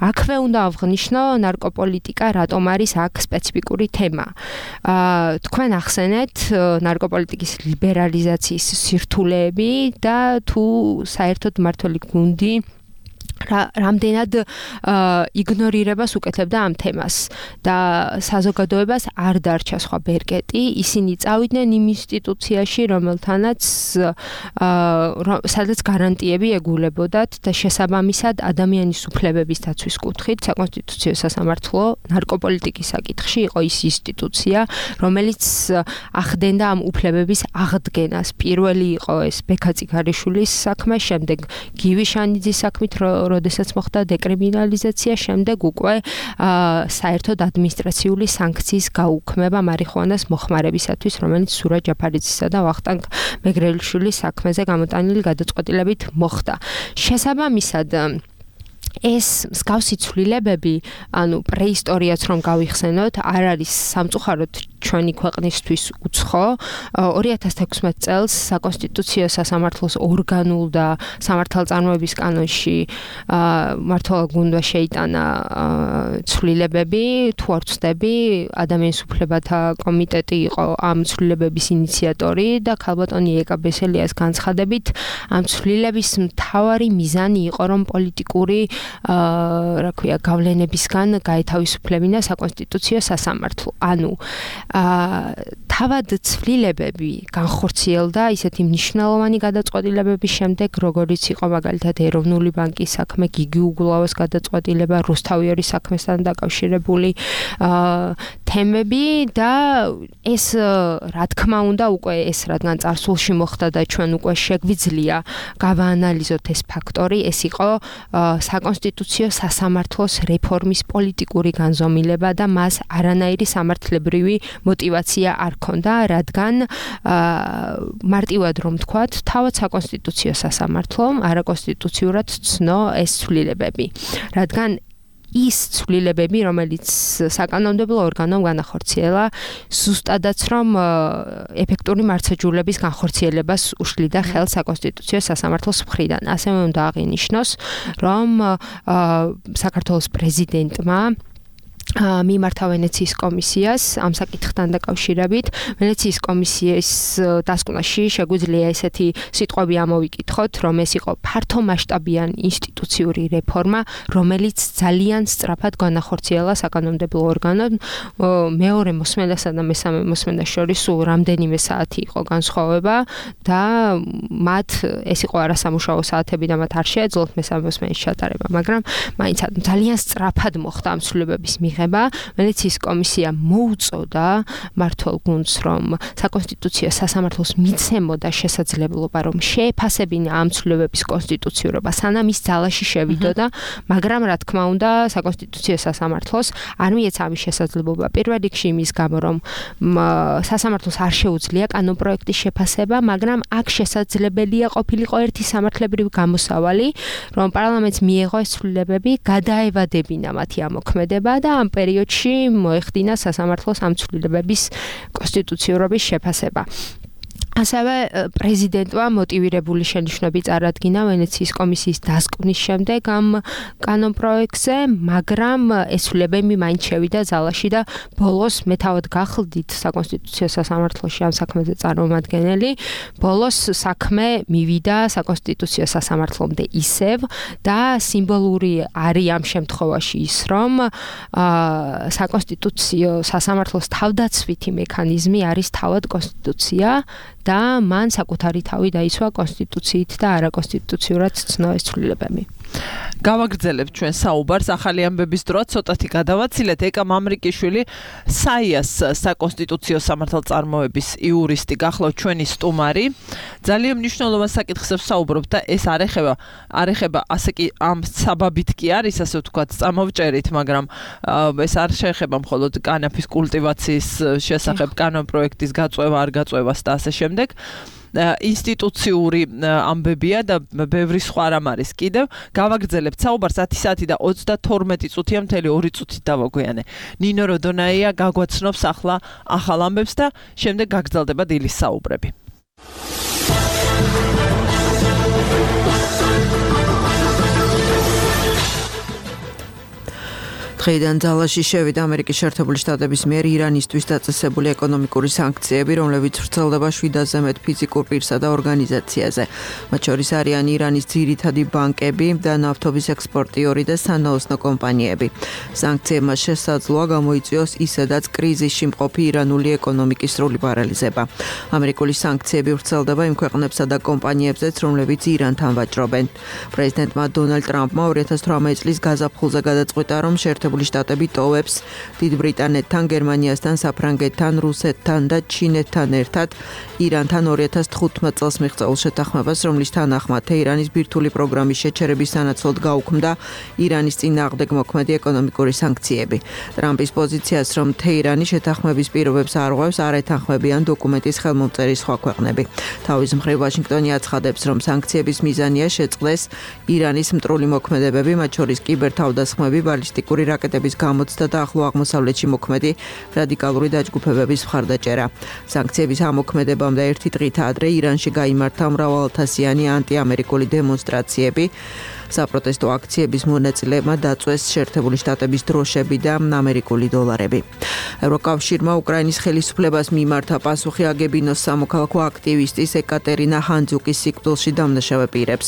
აქვე უნდა აღვნიშნო ნარკოპოლიტიკა, რატომ არის აქ სპეციფიკური თემა. თქვენ ახსენეთ ნარკოპოლიტიკის ლიბერალიზაციის სირთულეები და თუ საერთოდ მართველი გუნდი რამდენად იგნორირებას უკეთებდა ამ თემას და საზოგადოებას არ დარჩა სხვა ბერკეტი, ისინი წავიდნენ იმ ინსტიტუციაში, რომელთანაც სადაც გარანტიები ეგულებოდათ და შესაბამისად ადამიანის უფლებების დაცვის კუთხით საკონსტიტუციო სასამართლო ნარკოპოლიტიკის საკითხში იყო ის ინსტიტუცია, რომელიც ახდენდა ამ უფლებების აღდგენას. პირველი იყო ეს ბექა წიქარიშვილის საქმე, შემდეგ გივი შანიძის საქმით, როდესაც მოხდა დეკრიმინალიზაცია, შემდეგ უკვე საერთოდ ადმინისტრაციული სანქციის გაუქმება მარიხუანას მოხმარებისათვის, რომელიც სურა ჯაფარიძისა და ვახტანგ მეგრელიშვილის საქმეზე გამოტანილი გადაწყვეტილებით მოხდა. შესაბამისად ეს მსგავსი ცვლილებები, ანუ პრეისტორიაც რომ გავიხსენოთ, არ არის სამწუხაროდ ჩვენი ქვეყნისთვის უცხო. ორი ათას თექვსმეტ წელს საკონსტიტუციო სასამართლოს ორგანულ და სამართალწარმოების კანონში მართლობა გუნდმა შეიტანა ცვლილებები, თუ არ ვცდები, ადამიანის უფლებათა კომიტეტი იყო ამ ცვლილებების ინიციატორი და ქალბატონი ეკა ბესელიას განცხადებით, ამ ცვლილების მთავარი მიზანი იყო, რომ პოლიტიკური რა ქვია, გავლენებისგან გაეთავისუფლებინა საკონსტიტუციო სასამართლო. ანუ თავად ცვლილებები განხორციელდა ისეთი მნიშვნელოვანი გადაწყვეტილებების შემდეგ, როგორიც იყო მაგალითად ეროვნული ბანკის საქმე, გიგი უგულავას გადაწყვეტილება, რუსთავიორის საქმესთან დაკავშირებული თემები და ეს რა თქმა უნდა უკვე ეს რადგან წარსულში მოხდა და ჩვენ უკვე შეგვიძლია გავაანალიზოთ ეს ფაქტორი, ეს იყო საკონსტიტუციო სასამართლოს რეფორმის პოლიტიკური განზომილება და მას არანაირი სამართლებრივი мотивация არ ქონდა, რადგან მარტივად რომ თქვათ, თავად საკონსტიტუციო სასამართლომ არაკონსტიტუციურად ცნო ეს ცვლილებები, რადგან ის ცვლილებები, რომელიც საკანონმდებლო ორგანომ განახორციელა, ზუსტადაც რომ ეფექტური მართლმსაჯულების განხორციელებას უშლიდა ხელს საკონსტიტუციო სასამართლოს მხრიდან. ასევე უნდა აღინიშნოს, რომ საქართველოს პრეზიდენტმა მიმართა ვენეციის კომისიას ამ საკითხთან დაკავშირებით. ვენეციის კომისიის დასკვნაში შეგვიძლია ესეთი სიტყვები ამოვიკითხოთ, რომ ეს იყო ფართომასშტაბიან ინსტიტუციური რეფორმა, რომელიც ძალიან სწრაფად განახორციელა საკანონმდებლო ორგანომ. მეორე მოსმენასა და მესამე მოსმენას შორის სულ რამდენიმე საათი იყო განსხვავება და მათ ეს იყო არასამუშაო საათები და მათ არ შეეძლოთ მესამე მოსმენის ჩატარება, მაგრამ მაინც ძალიან სწრაფად მოხდა ამ ცვლილებების მიღება. ვენეციის კომისია მოუწოდა მმართველ გუნდს, რომ საკონსტიტუციო სასამართლოს მიცემოდა შესაძლებლობა, რომ შეეფასებინა ამ ცვლილებების კონსტიტუციურობა, სანამ ის ძალაში შევიდოდა, მაგრამ რა თქმა უნდა, საკონსტიტუციო სასამართლოს არ მიეცა ამის შესაძლებლობა. პირველ რიგში იმის გამო, რომ სასამართლოს არ შეუძლია კანონპროექტის შეფასება, მაგრამ აქ შესაძლებელია ყოფილიყო ერთი სამართლებრივი გამოსავალი, რომ პარლამენტს მიეღო ეს ცვლილებები, გადაევადებინა მათი ამოქმედება და ამ პერიოდში მოეხდინა სასამართლოს ამ ცვლილებების კონსტიტუციურობის შეფასება. ასევე პრეზიდენტმა მოტივირებული შენიშვნები წარადგინა ვენეციის კომისიის დასკვნის შემდეგ ამ კანონპროექტზე, მაგრამ ეს ცვლილებები მაინც შევიდა ძალაში და ბოლოს მე თავად გახლდით საკონსტიტუციო სასამართლოში ამ საქმეზე წარმომადგენელი, ბოლოს საქმე მივიდა საკონსტიტუციო სასამართლომდე ისევ და სიმბოლური არის ამ შემთხვევაში ის, რომ საკონსტიტუციო სასამართლოს თავდაცვითი მექანიზმი არის თავად კონსტიტუცია და მან საკუთარი თავი დაიცვა კონსტიტუციით და არაკონსტიტუციურად ცნო ეს ცვლილებები. გავაგრძელებთ ჩვენ საუბარს ახალი ამბების დროა ცოტათი გადავაცილეთ. ეკა მამრიკიშვილი საიას საკონსტიტუციო სამართალწარმოების იურისტი გახლავთ ჩვენი სტუმარი. ძალიან მნიშვნელოვან საკითხს ვსაუბრობთ და ეს არ ეხება არ ეხება ასე კი ამ საბაბით კი არის, ასე ვთქვათ, წამოვჭერით, მაგრამ ეს არ შეეხება მხოლოდ კანაფის კულტივაციის შესახებ კანონპროექტის გაწევა, არ გაწევას და ასე შემდეგ. ინსტიტუციური ამბებია და ბევრი სხვა რამ არის კიდევ. გავაგრძელებთ საუბარს ათი საათი და ოცდათორმეტი წუთია, მთელი ორი წუთით დავაგვიანე. ნინო როდონაია გაგვაცნობს ახლა ახალ ამბებს და შემდეგ გაგრძელდება დილის საუბრები. დღეიდან ძალაში შევიდა ამერიკის შეერთებული შტატების მიერ ირანისთვის დაწესებული ეკონომიკური სანქციები, რომლებიც ვრცელდება შვიდასზე მეტ ფიზიკურ პირსა და ორგანიზაციაზე. მათ შორის არიან ირანის ძირითადი ბანკები და ნავთობის ექსპორტიორი და სანაოსნო კომპანიები. სანქციებმა შესაძლოა გამოიწვიოს ისედაც კრიზისში მყოფი ირანული ეკონომიკის სრული პარალიზება. ამერიკული სანქციები ვრცელდება იმ ქვეყნებსა და კომპანიებზეც, რომლებიც ირანთან ვაჭრობენ. პრეზიდენტმა დონალდ ტრამპმა ორი ათას თვრამეტი წლის გაზაფხულზე გადაწყვიტა, რომ შეერთებული შტატები ტოვებს დიდ ბრიტანეთთან, გერმანიასთან, საფრანგეთთან, რუსეთთან და ჩინეთთან ერთად ირანთან ორი ათას თხუთმეტ წელს მიღწეულ შეთანხმებას, რომლის თანახმად თეირანის ბირთვული პროგრამის შეჩერების სანაცვლოდ გაუქმდა ირანის წინააღმდეგ მოქმედი ეკონომიკური სანქციები. ტრამპის პოზიციას, რომ თეირანი შეთანხმების პირობებს არ ღვევს, არ ეთანხმებიან დოკუმენტის ხელმომწერი სხვა ქვეყნები. თავის მხრივ ვაშინგტონი აცხადებს, რომ სანქციების მიზანია შეწყდეს ირანის მტრული მოქმედებები, მათ შორის კიბერთავდასხმები, ბალისტიკური რაკეტების გამოცდა და ახლო აღმოსავლეთში მოქმედი რადიკალური დაჯგუფებების მხარდაჭერა. სანქციების ამოქმედებამდე ერთი დღით ადრე ირანში გაიმართა მრავალათასიანი ანტიამერიკული დემონსტრაციები. საპროტესტო აქციების მონაწილეებმა დაწვეს შეერთებული შტატების დროშები და ამერიკული დოლარები. ევროკავშირმა უკრაინის ხელისუფლებას მიმართა პასუხი აგებინოს სამოქალაქო აქტივისტის ეკატერინა ჰანძუკის სიკვდილში დამნაშავე პირებს.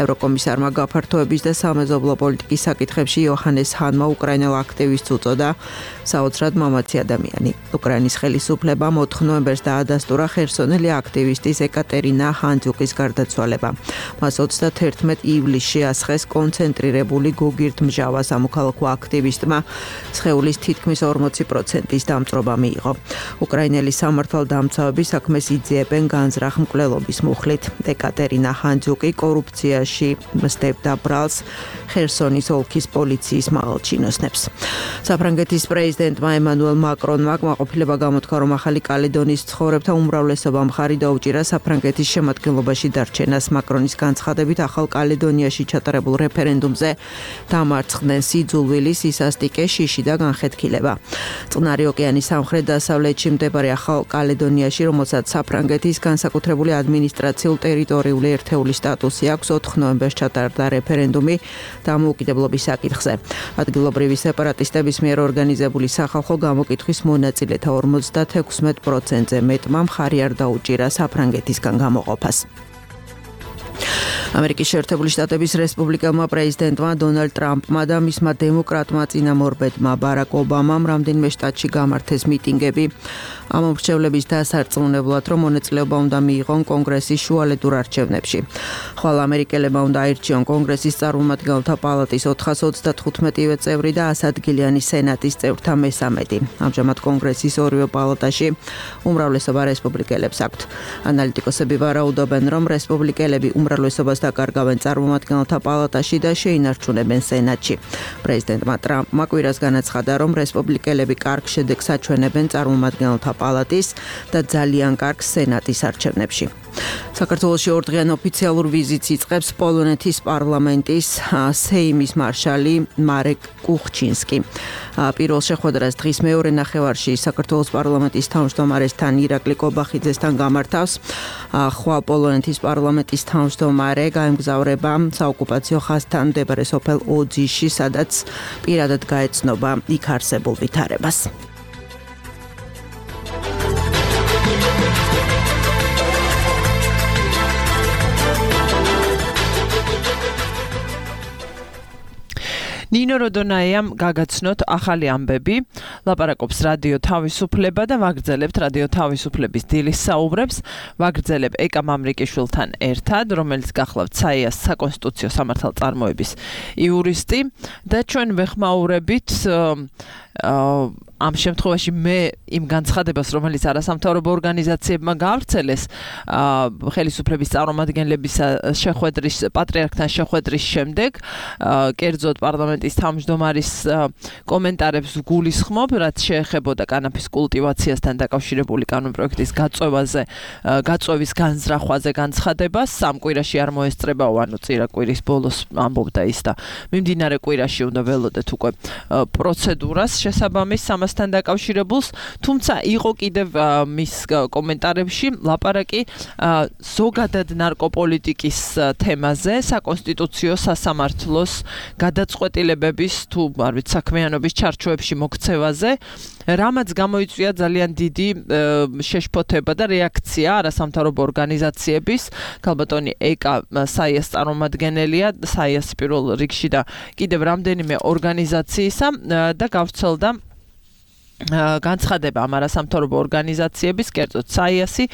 ევროკომისარმა გაფართოების და სამეზობლო პოლიტიკის საკითხებში იოჰანეს ჰანმა უკრაინელ აქტივისტს უწოდა საოცრად მამაცი ადამიანი. უკრაინის ხელისუფლებამ ოთხ ნოემბერს დაადასტურა ხერსონელი აქტივისტის ეკატერინა ჰანძუკის გარდაცვალება. მას ოცდაათერთმეტ ივლისში ასხეს კონცენტრირებული გოგირდმჟავა სამოქალაქო აქტივისტმა სხეულის თითქმის ორმოცი პროცენტის დამწრობა მიიღო. უკრაინელი სამართალდამცავები საქმეს იძიებენ განზრახ მკვლელობის მუხლით. ეკატერინა ჰანძუკი კორუფციაში მსდებდა ბრალს ხერსონის ოლქის პოლიციის მაღალჩინოსნებს. საფრანგეთის პრეზიდენტმა ემანუელ მაკრონმა კმაყოფილება გამოთქვა, რომ ახალი კალედონიის მცხოვრებთა უმრავლესობა მხარი დაუჭირა საფრანგეთის შემადგენლობაში დარჩენას. მაკრონის განცხადებით ახალ კალედონიაში ჩატარებულ რეფერენდუმზე დამარცხდნენ სიძულვილი, სისასტიკე, შიში და განხეთქილება. წყნარი ოკეანის სამხრეთ-დასავლეთში მდებარე ახალ კალედონიაში, რომელსაც საფრანგეთის განსაკუთრებული ადმინისტრაციულ-ტერიტორიული ერთეული სტატუსი აქვს, ოთხ ნოემბერს ჩატარდა რეფერენდუმი დამოუკიდებლობის საკითხზე. ადგილობრივი სეპარატისტების მიერ ორგანიზებული სახალხო გამოკითხვის მონაწილეთა ორმოცდაექვსმეტ პროცენტზე მეტმა მხარი არ დაუჭირა საფრანგეთისგან გამოყოფას. ამერიკის შეერთებული შტატების რესპუბლიკელმა პრეზიდენტმა დონალდ ტრამპმა და მისმა დემოკრატმა წინამორბედმა ბარაკ ობამამ რამდენიმე შტატში გამართეს მიტინგები ამ მრჩევლების დასარწმუნებლად, რომ მონაწილეობა უნდა მიიღონ კონგრესის შუალედურ არჩევნებში. ხვალ ამერიკელებმა უნდა აირჩიონ კონგრესის წარმომადგენელთა პალატის ოთხას ოცდათხუთმეტივე წევრი და ასადგილიანი სენატის წევრთა მესამედი. ამჟამად კონგრესის ორივე პალატაში უმრავლესობა რესპუბლიკელებს აქვთ. ანალიტიკოსები ვარაუდობენ, რომ რესპუბლიკელები უმრავლესობას დაკარგავენ წარმომადგენელთა პალატაში და შეინარჩუნებენ სენატში. პრეზიდენტმა ტრამპმა კვირას განაცხადა, რომ რესპუბლიკელები კარგ შედეგს აჩვენებენ წარმომადგენელთა პალატის და ძალიან კარგ სენატის არჩევნებში. საქართველოში ორდღიან ოფიციალურ ვიზიტს იწყებს პოლონეთის პარლამენტის სეიმის მარშალი მარეკ კუხჩინსკი. პირველ შეხვედრას დღის მეორე ნახევარში საქართველოს პარლამენტის თავმჯდომარესთან ირაკლი კობახიძესთან გამართავს. ხვალ პოლონეთის პარლამენტის თავმჯდომარე გაემგზავრება საოკუპაციო ხაზთან მდებარე სოფელ ოძიში, სადაც პირადად გაეცნობა იქ არსებულ ვითარებას. ნინო როდონაიამ გაგაცნოთ ახალი ამბები, ლაპარაკობს რადიო თავისუფლება და ვაგრძელებთ რადიო თავისუფლების დილის საუბრებს, ვაგრძელებ ეკა მამრიკიშვილთან ერთად, რომელიც გახლავთ საიას საკონსტიტუციო სამართალწარმოების იურისტი და ჩვენ ვეხმაურებით ამ შემთხვევაში მე იმ განცხადებას, რომელიც არასამთავრობო ორგანიზაციებმა გაავრცელეს ხელისუფლების წარმომადგენლების შეხვედრის პატრიარქთან შეხვედრის შემდეგ, კერძოდ პარლამენტის თავმჯდომარის კომენტარებს გულისხმობ, რაც შეეხებოდა კანაფის კულტივაციასთან დაკავშირებული კანონპროექტის გაწევაზე, გაწევის განზრახვაზე განცხადებას, სამ კვირაში არ მოესწრებაო, ანუ წირა კვირის ბოლოს ამბობდა ის და მიმდინარე კვირაში უნდა ველოდეთ უკვე პროცედურას შესაბამის ამასთან დაკავშირებულს, თუმცა იყო კიდევ მის კომენტარებში ლაპარაკი ზოგადად ნარკოპოლიტიკის თემაზე, საკონსტიტუციო სასამართლოს გადაწყვეტილებების თუ არ ვიცი საქმიანობის ჩარჩოებში მოქცევაზე, რამაც გამოიწვია ძალიან დიდი შეშფოთება და რეაქცია არასამთავრობო ორგანიზაციების, ქალბატონი ეკა საიას წარმომადგენელია, საიას პირველ რიგში და კიდევ რამდენიმე ორგანიზაციისა და გავრცელდა განცხადება ამ არასამთავრობო ორგანიზაციების, კერძოდ საიასი,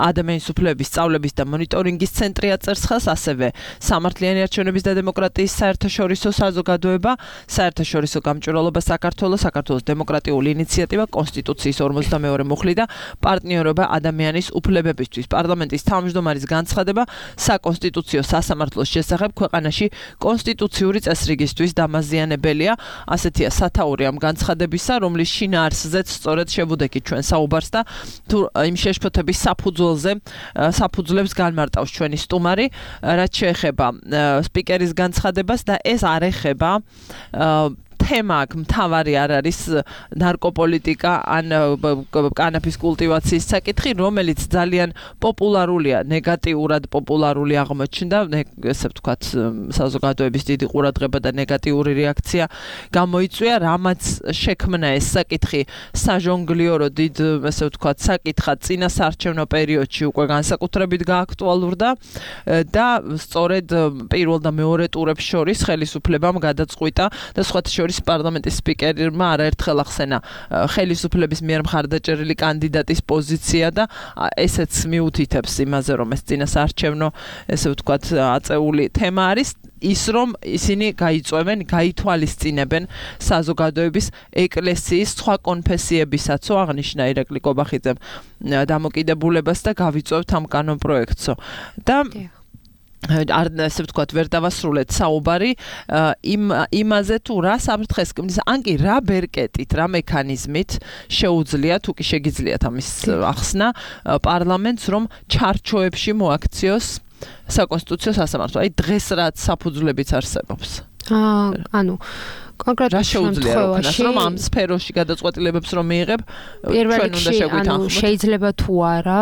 ადამიანის უფლებების სწავლების და მონიტორინგის ცენტრი აწერს ხელს, ასევე სამართლიანი არჩევნების და დემოკრატიის საერთაშორისო საზოგადოება, საერთაშორისო გამჭვირვალობა საქართველოს, საქართველოს დემოკრატიული ინიციატივა, კონსტიტუციის ორმოცდამეორე მუხლი და პარტნიორობა ადამიანის უფლებებისთვის. პარლამენტის თავმჯდომარის განცხადება საკონსტიტუციო სასამართლოს შესახებ ქვეყანაში კონსტიტუციური წესრიგისთვის დამაზიანებელია, ასეთია სათაური ამ განცხადებისა, რომლის შინაარსზე სწორედ შევუდექით ჩვენ საუბარს და თუ იმ შეშფოთების საფუძველზე საფუძვლებს განმარტავს ჩვენი სტუმარი, რაც შეეხება სპიკერის განცხადებას და ეს არ ეხება თემა აქ მთავარი არ არის ნარკოპოლიტიკა ან კანაფის კულტივაციის საკითხი, რომელიც ძალიან პოპულარულია, ნეგატიურად პოპულარული აღმოჩნდა, ესე ვთქვათ, საზოგადოების დიდი ყურადღება და ნეგატიური რეაქცია გამოიწვია, რამაც შექმნა ეს საკითხი საჟონგლიორო დიდ, ესე ვთქვათ, საკითხად წინა საარჩევნო პერიოდში უკვე განსაკუთრებით გააქტუალურდა და სწორედ პირველ და მეორე ტურებს შორის ხელისუფლებამ გადაწყვიტა და სხვათა შორის პარლამენტის სპიკერმა არაერთხელ ახსენა ხელისუფლების მიერ მხარდაჭერილი კანდიდატის პოზიცია და ესეც მიუთითებს იმაზე, რომ ეს წინა საარჩევნო, ესე ვთქვათ, აწეული თემა არის ის, რომ ისინი გაიწვევენ, გაითვალისწინებენ საზოგადოების ეკლესიის სხვა კონფესიებისაცო, აღნიშნა ირაკლი კობახიძემ დამოკიდებულებას და გავიწვევთ ამ კანონპროექტსო. და არ ესე ვთქვათ, ვერ დავასრულეთ საუბარი იმ იმაზე თუ რა საფრთხეს ქმნის, ან კი რა ბერკეტით, რა მექანიზმით შეუძლია, თუ კი შეგიძლიათ ამის ახსნა პარლამენტს, რომ ჩარჩოებში მოაქციოს საკონსტიტუციო სასამართლო. აი დღეს რაც საფუძვლებიც არსებობს. აა, ანუ კონკრეტულად შემთხვევაში რომ ამ სფეროში გადაწყვეტილებებს რომ მიიღებ, ჩვენ უნდა შეგვითანხმოთ. შეიძლება თუ არა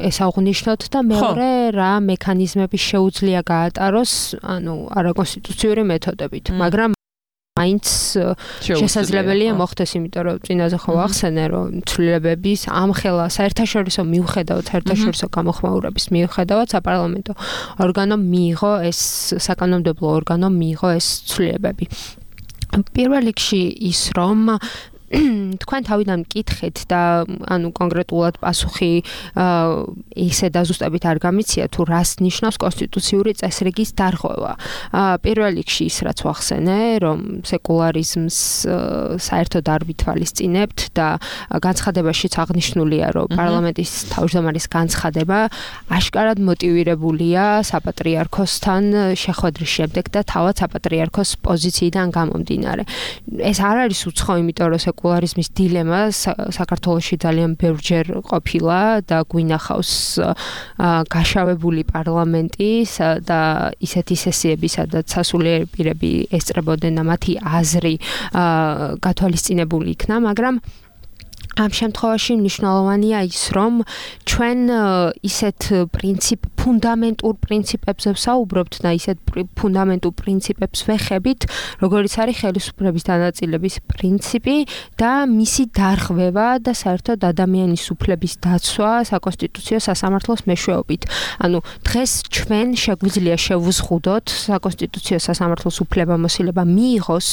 ეს აღვნიშნოთ და მეორე რა მექანიზმები შეუძლია გაატაროს, ანუ არაკონსტიტუციური მეთოდებით, მაგრამ მაინც შესაძლებელია მოხდეს, იმიტომ რომ წინაზე ხო ახსენე, რომ ცვლილებების ამხელა საერთაშორისო მიუხედავად, საერთაშორისო გამოხმაურების მიუხედავად საპარლამენტო ორგანომ მიიღო ეს საკანონმდებლო ორგანომ მიიღო ეს ცვლილებები. პირველ რიგში ის, რომ თქვენ თავიდან მკითხეთ და ანუ კონკრეტულად პასუხი ისე დაზუსტებით არ გამიცია თუ რას ნიშნავს კონსტიტუციური წესრიგის დარღვევა. პირველ რიგში ის რაც ვახსენე, რომ სეკულარიზმს საერთოდ არ ვითვალისწინებთ და განცხადებაშიც აღნიშნულია, რომ პარლამენტის თავმჯდომარის განცხადება აშკარად მოტივირებულია საპატრიარქოსთან შეხვედრის შემდეგ და თავად საპატრიარქოს პოზიციიდან გამომდინარე. ეს არ არის უცხო, იმიტომ რომ სეკულარიზმის დილემა საქართველოში ძალიან ბევრჯერ ყოფილა და გვინახავს გაშავებული პარლამენტი და ისეთი სესიები, სადაც სასულიერო პირები ესწრებოდნენ და მათი აზრი გათვალისწინებული იქნა, მაგრამ ამ შემთხვევაში მნიშვნელოვანია ის, რომ ჩვენ ისეთ პრინციპ ფუნდამენტურ პრინციპებზე ვსაუბრობთ და ისეთ ფუნდამენტურ პრინციპებს ვეხებით, როგორიც არის ხელისუფლების დანაწილების პრინციპი და მისი დარღვევა და საერთოდ ადამიანის უფლების დაცვა საკონსტიტუციო სასამართლოს მეშვეობით. ანუ დღეს ჩვენ შეგვიძლია შევუზღუდოთ საკონსტიტუციო სასამართლოს უფლებამოსილება მიიღოს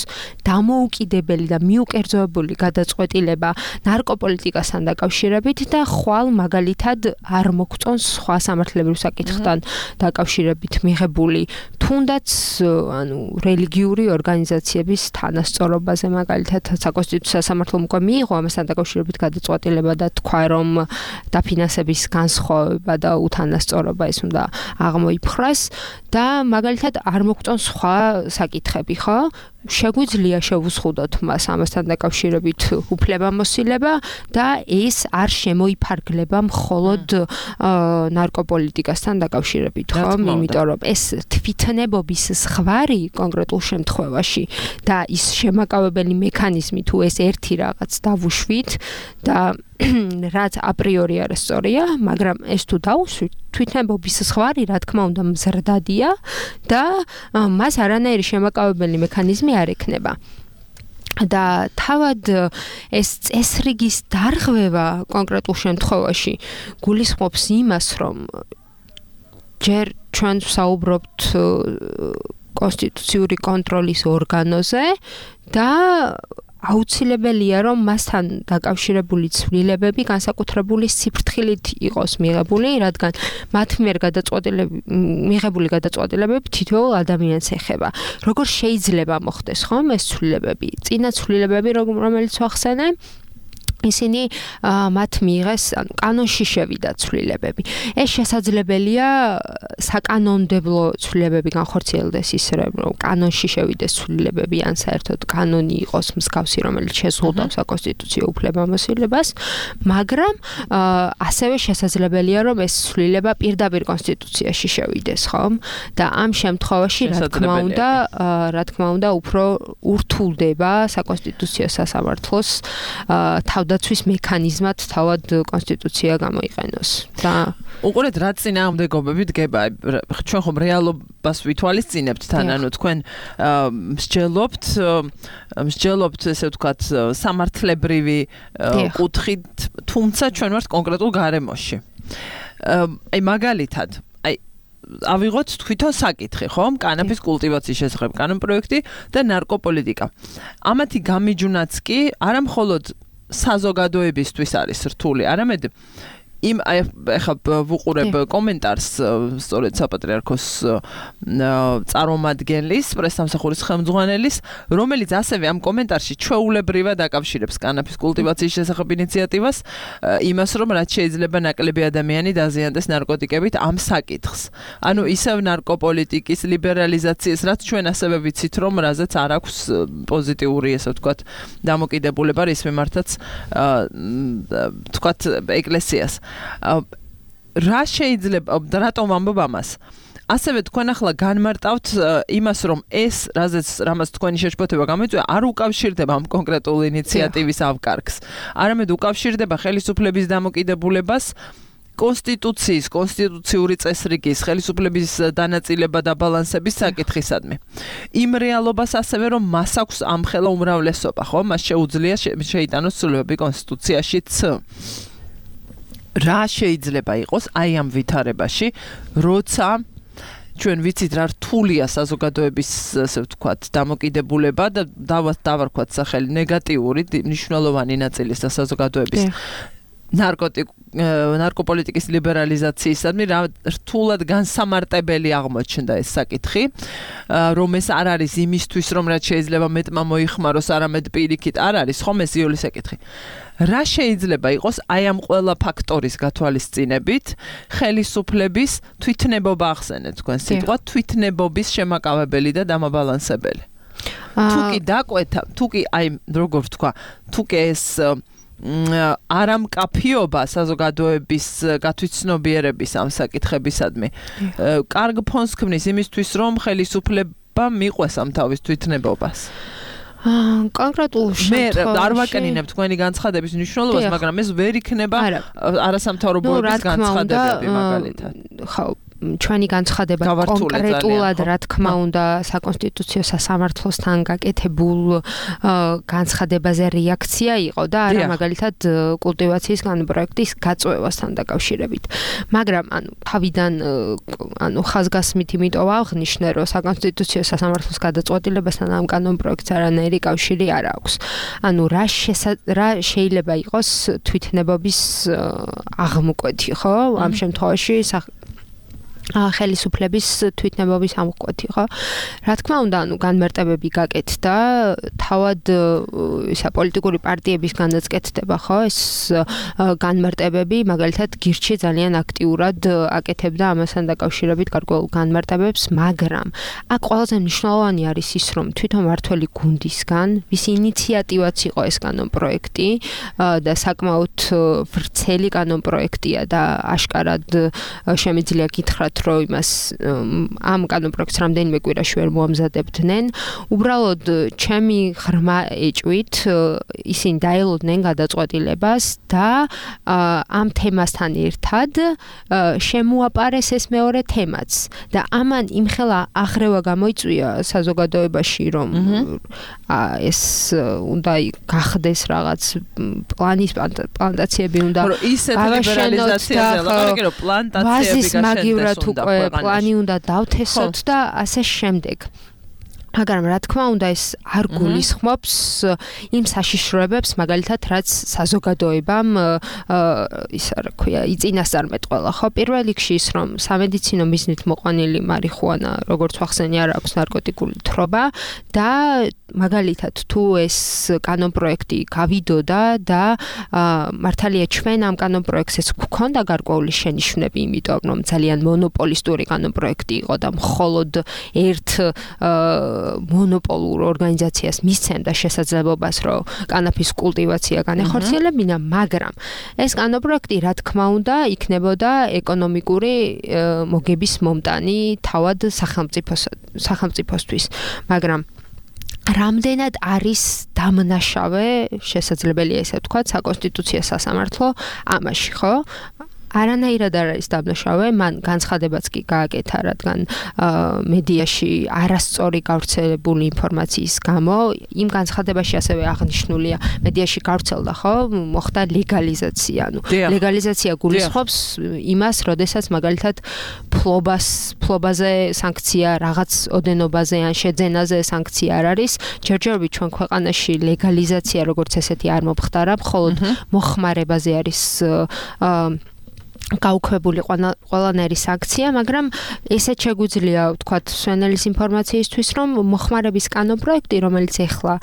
დამოუკიდებელი და მიუკერძოებული გადაწყვეტილება ნარკოპოლიტიკასთან დაკავშირებით და ხვალ მაგალითად არ მოგწონს სხვა სამართლებრივ საკითხთან დაკავშირებით მიღებული თუნდაც ანუ რელიგიური ორგანიზაციების თანასწორობაზე, მაგალითად საკონსტიტუციო სასამართლომ უკვე მიიღო ამასთან დაკავშირებით გადაწყვეტილება და თქვა, რომ დაფინანსების განსხვავება და უთანასწორობა ეს უნდა აღმოიფხვრას და მაგალითად არ მოგწონს სხვა საკითხები, ხო? შეგვიძლია შევუზღუდოთ მას ამასთან დაკავშირებით უფლებამოსილება და ეს არ შემოიფარგლება მხოლოდ ნარკოპოლიტიკასთან დაკავშირებით, ხო? იმიტომ რომ ეს თვითნებობის ზღვარი კონკრეტულ შემთხვევაში და ის შემაკავებელი მექანიზმი თუ ეს ერთი რაღაც დავუშვით და რაც აპრიორი არასწორია, მაგრამ ეს თუ დაუსვით, თვითნებობის ზღვარი, რა თქმა უნდა, მზრდადია და მას არანაირი შემაკავებელი მექანიზმი არ ექნება. და თავად ეს წესრიგის დარღვევა კონკრეტულ შემთხვევაში გულისხმობს იმას, რომ ჯერ ჩვენ ვსაუბრობთ კონსტიტუციური კონტროლის ორგანოზე და აუცილებელია, რომ მასთან დაკავშირებული ცვლილებები განსაკუთრებული სიფრთხილით იყოს მიღებული, რადგან მათ მიერ გადაწყვეტილები მიღებული გადაწყვეტილებები თითოეულ ადამიანს ეხება. როგორ შეიძლება მოხდეს ხომ ეს ცვლილებები? წინა ცვლილებები, რომელიც ვახსენე, ისინი მათ მიიღეს კანონში შევიდა ცვლილებები. ეს შესაძლებელია საკანონმდებლო ცვლილებები განხორციელდეს ისე რომ კანონში შევიდეს ცვლილებები ან საერთოდ კანონი იყოს მსგავსი, რომელიც შეზღუდავს საკონსტიტუციო უფლებამოსილებას, მაგრამ ასევე შესაძლებელია რომ ეს ცვლილება პირდაპირ კონსტიტუციაში შევიდეს, ხომ? და ამ შემთხვევაში რა თქმა უნდა, რა თქმა უნდა, უფრო ურთულდება საკონსტიტუციო სასამართლოს თავდაცვის მექანიზმად თავად კონსტიტუცია გამოიყენოს. და უყურეთ რა წინააღმდეგობები დგება. ჩვენ ხომ რეალობას ვითვალისწინებთ თან, ანუ თქვენ მსჯელობთ, მსჯელობთ ესე ვთქვათ სამართლებრივი კუთხით, თუმცა ჩვენ ვართ კონკრეტულ გარემოში. აი მაგალითად, აი ავიღოთ თვითონ საკითხი, ხომ? კანაფის კულტივაციის შესახებ კანონპროექტი და ნარკოპოლიტიკა. ამათი გამიჯვნაც კი არა მხოლოდ საზოგადოებისთვის არის რთული, არამედ იმ ახლა ვუყურებ კომენტარს სწორედ საპატრიარქოს წარმომადგენლის, პრესსამსახურის ხელმძღვანელის, რომელიც ასევე ამ კომენტარში ჩვეულებრივად აკავშირებს კანაფის კულტივაციის შესახებ ინიციატივას, იმას რომ რაც შეიძლება ნაკლები ადამიანი დაზიანდეს ნარკოტიკებით ამ საკითხს. ანუ ისევ ნარკოპოლიტიკის ლიბერალიზაციის, რაც ჩვენ ასევე ვიცით რომ რაზეც არ აქვს პოზიტიური, ესე ვთქვათ, დამოკიდებულება რის მიმართაც ვთქვათ ეკლესიას. რა შეიძლება რატომ ამბობ ამას? ასევე თქვენ ახლა განმარტავთ იმას, რომ ეს, რაზეც რამაც თქვენი შეშფოთება გამოიწვია, არ უკავშირდება ამ კონკრეტულ ინიციატივის ავკარგს. არამედ უკავშირდება ხელისუფლების დამოკიდებულებას კონსტიტუციის, კონსტიტუციური წესრიგის, ხელისუფლების დანაწილება და ბალანსების საკითხისადმი. იმ რეალობას ასევე რომ მას აქვს ამხელა უმრავლესობა, ხო? მას შეუძლია შეიტანოს ცვლილებები კონსტიტუციაშიც. რა შეიძლება იყოს აი ამ ვითარებაში, როცა ჩვენ ვიცით რა რთულია საზოგადოების, ასე ვთქვათ, დამოკიდებულება და დავარქვათ სახელი ნეგატიური, მნიშვნელოვანი ნაწილი საზოგადოების ნარკოტიკ ნარკოპოლიტიკის ლიბერალიზაციისადმი რა რთულად განსამარტებელი აღმოჩნდა ეს საკითხი, რომ ეს არ არის იმისთვის, რომ რაც შეიძლება მეტმა მოიხმაროს, არამედ პირიქით არ არის, ხომ ეს იული საკითხი. რა შეიძლება იყოს აი ამ ყველა ფაქტორის გათვალისწინებით ხელისუფლების თვითნებობა ახსენეთ თქვენ სიტყვა თვითნებობის შემაკავებელი და დამაბალანსებელი. თუ კი დაკვეთა, თუ კი აი როგორ ვთქვა, თუ კი ეს არამკაფიობა საზოგადოების გათვითცნობიერების ამ საკითხებისადმი კარგ ფონს ქმნის იმისთვის, რომ ხელისუფლება მიყვეს ამ თავის თვითნებობას. კონკრეტულ შემთხვევაში მე არ ვაკენინებ თქვენი განცხადების მნიშვნელობას, მაგრამ ეს ვერ იქნება არასამთავრობოების განცხადებები მაგალითად. ხო, ჩვენი განცხადება კონკრეტულად რა თქმა უნდა საკონსტიტუციო სასამართლოსთან გაკეთებულ განცხადებაზე რეაქცია იყო და არა მაგალითად კულტივაციის კანონპროექტის გაწვევასთან დაკავშირებით. მაგრამ ანუ თავიდან ანუ ხაზგასმით იმიტომ აღნიშნე, რომ საკონსტიტუციო სასამართლოს გადაწყვეტილებასთან ამ კანონპროექტს არანაირი კავშირი არ აქვს. ანუ რა რა შეიძლება იყოს თვითნებობის აღმკვეთი, ხო? ამ შემთხვევაში ხელისუფლების თვითნებობის ამოკვეთი, ხო? რა თქმა უნდა, ანუ განმარტებები გაკეთდა, თავად ისა პოლიტიკური პარტიების განაცხადდება, ხო? ეს განმარტებები, მაგალითად, გირჩი ძალიან აქტიურად აკეთებდა ამასთან დაკავშირებით გარკვეულ განმარტებებს, მაგრამ აქ ყველაზე მნიშვნელოვანი არის ის, რომ თვითონ მართველი გუნდისგან, ვის ინიციატივაც იყო ეს კანონპროექტი და საკმაოდ ვრცელი კანონპროექტია და აშკარად შემიძლია გითხრათ რომ იმას ამ კანონპროექტს რამდენიმე კვირაში ვერ მოამზადებდნენ. უბრალოდ ჩემი ღრმა ეჭვით ისინი დაელოდნენ გადაწყვეტილებას და ამ თემასთან ერთად შემოაპარეს ეს მეორე თემაც და ამან იმხელა აღრევა გამოიწვია საზოგადოებაში, რომ ეს უნდა გახდეს რაღაც პლანის პლანტაციები უნდა გავაშენოთ და პლანტაციები გაშენდეს უკვე პლანი უნდა დავთესოთ და ასე შემდეგ. მაგრამ რა თქმა უნდა ეს არ გულისხმობს იმ საშიშროებებს მაგალითად რაც საზოგადოებამ ისა რა ქვია იწინასწარმეტყველა ხო პირველ რიგში ის რომ სამედიცინო მიზნით მოყვანილი მარიხუანა როგორც ვახსენე არ აქვს ნარკოტიკული თრობა და მაგალითად თუ ეს კანონპროექტი გავიდოდა და მართალია ჩვენ ამ კანონპროექტს გვქონდა გარკვეული შენიშვნები იმიტომ რომ ძალიან მონოპოლისტური კანონპროექტი იყო და მხოლოდ ერთ მონოპოლურ ორგანიზაციას მისცემდა შესაძლებლობას, რომ კანაფის კულტივაცია განეხორციელებინა, მაგრამ ეს კანონპროექტი, რა თქმა უნდა, იქნებოდა ეკონომიკური მოგების მომტანი თავად სახელმწიფოსთვის, მაგრამ რამდენად არის დამნაშავე, შესაძლებელია ესე ვთქვათ, საკონსტიტუციო სასამართლო ამაში, ხო? არანაირად არ არის დამნაშავე, მან განცხადებაც კი გააკეთა, რადგან მედიაში არასწორი გავრცელებული ინფორმაციის გამო, იმ განცხადებაში ასევე აღნიშნულია, მედიაში გავრცელდა, ხო, მოხდა ლეგალიზაცია, ანუ ლეგალიზაცია გულისხმობს იმას, როდესაც მაგალითად ფლობას, ფლობაზე სანქცია, რაღაც ოდენობაზე ან შეძენაზე სანქცია არ არის, ჯერჯერობით ჩვენ ქვეყანაში ლეგალიზაცია როგორც ესეთი არ მომხდარა, მხოლოდ მოხმარებაზე არის გაუქმებული ყველანაირი სანქცია, მაგრამ ესეც შეგვიძლია ვთქვათ სვენელის ინფორმაციისთვის, რომ მოხმარების კანონპროექტი, რომელიც ეხლა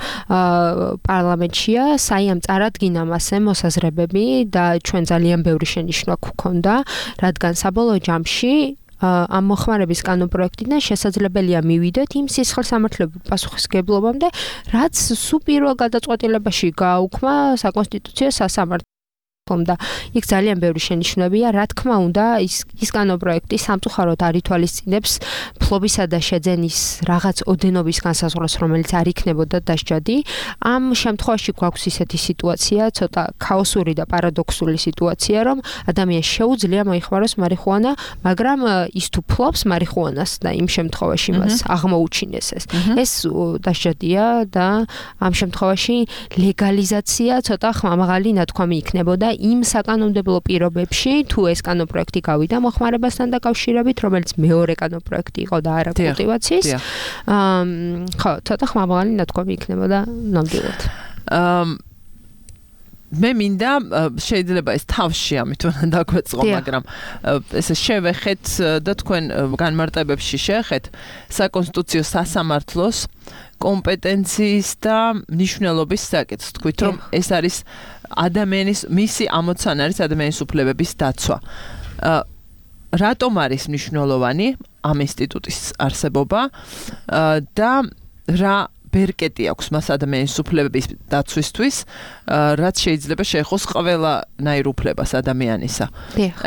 პარლამენტშია, საიამ წარადგინა მასზე მოსაზრებები და ჩვენ ძალიან ბევრი შენიშვნა გვქონდა, რადგან საბოლოო ჯამში ამ მოხმარების კანონპროექტიდან შესაძლებელია მივიდეთ იმ სისხლსამართლეობრივ პასუხისმგებლობამდე, რაც სულ პირველ გადაწყვეტილებაში გააუქმა საკონსტიტუციო სასამართლომ და იქ ძალიან ბევრი შენიშვნებია, რა თქმა უნდა, ის ის კანონპროექტი სამწუხაროდ არ ითვალისწინებს ფლობისა და შეძენის რაღაც ოდენობის განსაზღვრას, რომელიც არ იქნებოდა დასჯადი. ამ შემთხვევაში გვაქვს ისეთი სიტუაცია, ცოტა ქაოსური და პარადოქსული სიტუაცია, რომ ადამიანს შეუძლია მოიხმაროს მარიხუანა, მაგრამ ის თუ ფლობს მარიხუანას და იმ შემთხვევაში მას აღმოუჩინეს ეს. ეს დასჯადია და ამ შემთხვევაში ლეგალიზაცია ცოტა ხმამაღალი ნათქვამი იქნებოდა იმ საკანონმდებლო პირობებში, თუ ეს კანონპროექტი გავიდა მოხმარებასთან დაკავშირებით, რომელიც მეორე კანონპროექტი იყო და არა კულტივაციის. აა ხო, ცოტა ხმამაღალი ნათქვამი იქნებოდა ნამდვილად. აა მე მინდა შეიძლება ეს თავში ამით უნდა დაგვეწყო, მაგრამ ესე შევეხეთ და თქვენ განმარტებებში შევეხეთ საკონსტიტუციო სასამართლოს კომპეტენციის და მნიშვნელობის საკითხს. თქვით რომ ეს არის ადამიანის მისი ამოცანა არის ადამიანის უფლებების დაცვა. რატომ არის მნიშვნელოვანი ამ ინსტიტუტის არსებობა და რა ბერკეტი აქვს მას ადამიანის უფლებების დაცვისთვის, რაც შეიძლება შეეხოს ყველანაირ უფლებას ადამიანისა.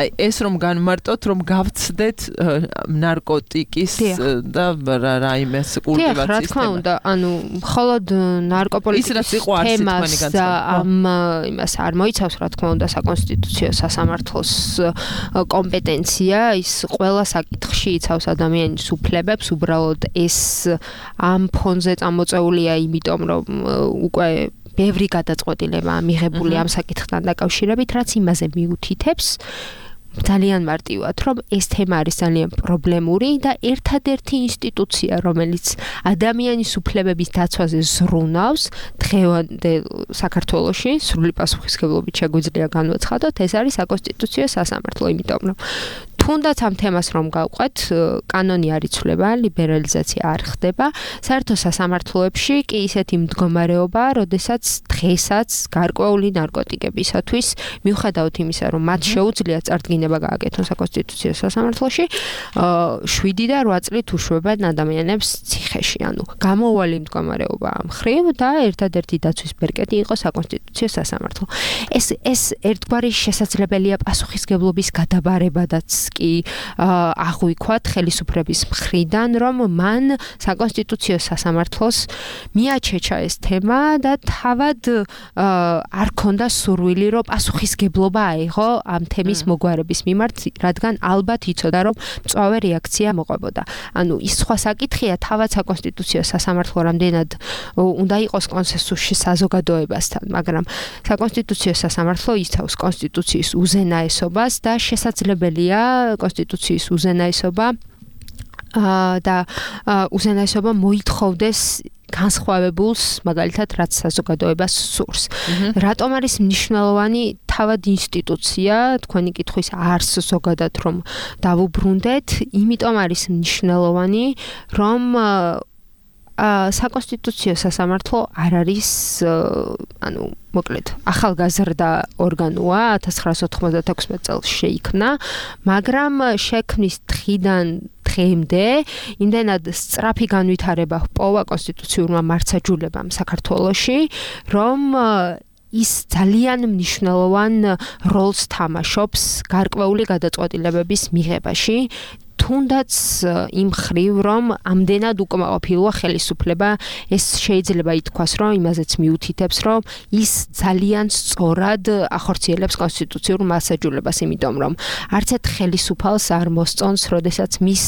აი ეს რომ განმარტოთ, რომ გავცდეთ ნარკოტიკის და რაიმეს კულტივაციის. რა თქმა უნდა, ანუ მხოლოდ ნარკოპოლიტიკის თემას და ამ იმას არ მოიცავს, რა თქმა უნდა, საკონსტიტუციო სასამართლოს კომპეტენცია, ის ყველა საკითხში იცავს ადამიანის უფლებებს, უბრალოდ ეს ამ ფონზე წამოწ წეულია იმიტომ რომ უკვე ბევრი გადაწყვეტილება მიღებული ამ საკითხთან დაკავშირებით, რაც იმაზე მიუთითებს ძალიან მარტივად, რომ ეს თემა არის ძალიან პრობლემური და ერთადერთი ინსტიტუცია, რომელიც ადამიანის უფლებების დაცვაზე ზრუნავს დღევანდელ საქართველოში, სრული პასუხისმგებლობით შეგვიძლია განვაცხადოთ, ეს არის საკონსტიტუციო სასამართლო, იმიტომ რომ თუნდაც ამ თემას რომ გავყვეთ, კანონი არ იცვლება, ლიბერალიზაცია არ ხდება, საერთო სასამართლოებში კი ისეთი მდგომარეობა, როდესაც დღესაც გარკვეული ნარკოტიკებისათვის, მიუხედავად იმისა, რომ მათ შეუძლიათ წარდგინება გააკეთონ საკონსტიტუციო სასამართლოში, შვიდი და რვა წლით უშვებენ ადამიანებს ციხეში, ანუ გამოუვალი მდგომარეობა ამ მხრივ და ერთადერთი დაცვის ბერკეტი იყო საკონსტიტუციო სასამართლო. ეს ეს ერთგვარი შესაძლებელია პასუხისმგებლობის გადაბარებადაც კი აღვიქვათ ხელისუფლების მხრიდან, რომ მან საკონსტიტუციო სასამართლოს მიაჩეჩა ეს თემა და თავად არ ქონდა სურვილი, რომ პასუხისმგებლობა აიღო ამ თემის მოგვარების მიმართ, რადგან ალბათ იცოდა, რომ მწვავე რეაქცია მოყვებოდა. ანუ ის სხვა საკითხია, თავად საკონსტიტუციო სასამართლო რამდენად უნდა იყოს კონსენსუსში საზოგადოებასთან, მაგრამ საკონსტიტუციო სასამართლო იცავს კონსტიტუციის უზენაესობას და შესაძლებელია კონსტიტუციის უზენაესობა და უზენაესობა მოითხოვდეს განსხვავებულს, მაგალითად, რაც საზოგადოებას სურს. რატომ არის მნიშვნელოვანი თავად ინსტიტუცია, თქვენი კითხვის არსს ზოგადად რომ დავუბრუნდეთ, იმიტომ არის მნიშვნელოვანი, რომ საკონსტიტუციო სასამართლო არ არის, ანუ, მოკლედ, ახალგაზრდა ორგანოა, ათას ცხრაასი ოთხმოცდათექვსმეტ წელს შეიქმნა, მაგრამ შექმნის დღიდან დღემდე იმდენად სწრაფი განვითარება ჰპოვა კონსტიტუციურმა მართლმსაჯულებამ საქართველოში, რომ ის ძალიან მნიშვნელოვან როლს თამაშობს გარკვეული გადაწყვეტილებების მიღებაში, თუნდაც იმ ხრივ, რომ ამდენად უკმაყოფილოა ხელისუფლება, ეს შეიძლება ითქვას, რომ იმაზეც მიუთითებს, რომ ის ძალიან სწორად ახორციელებს კონსტიტუციურ მასაჯულებას, იმიტომ რომ არც ერთ ხელისუფალს არ მოსწონს, როდესაც მის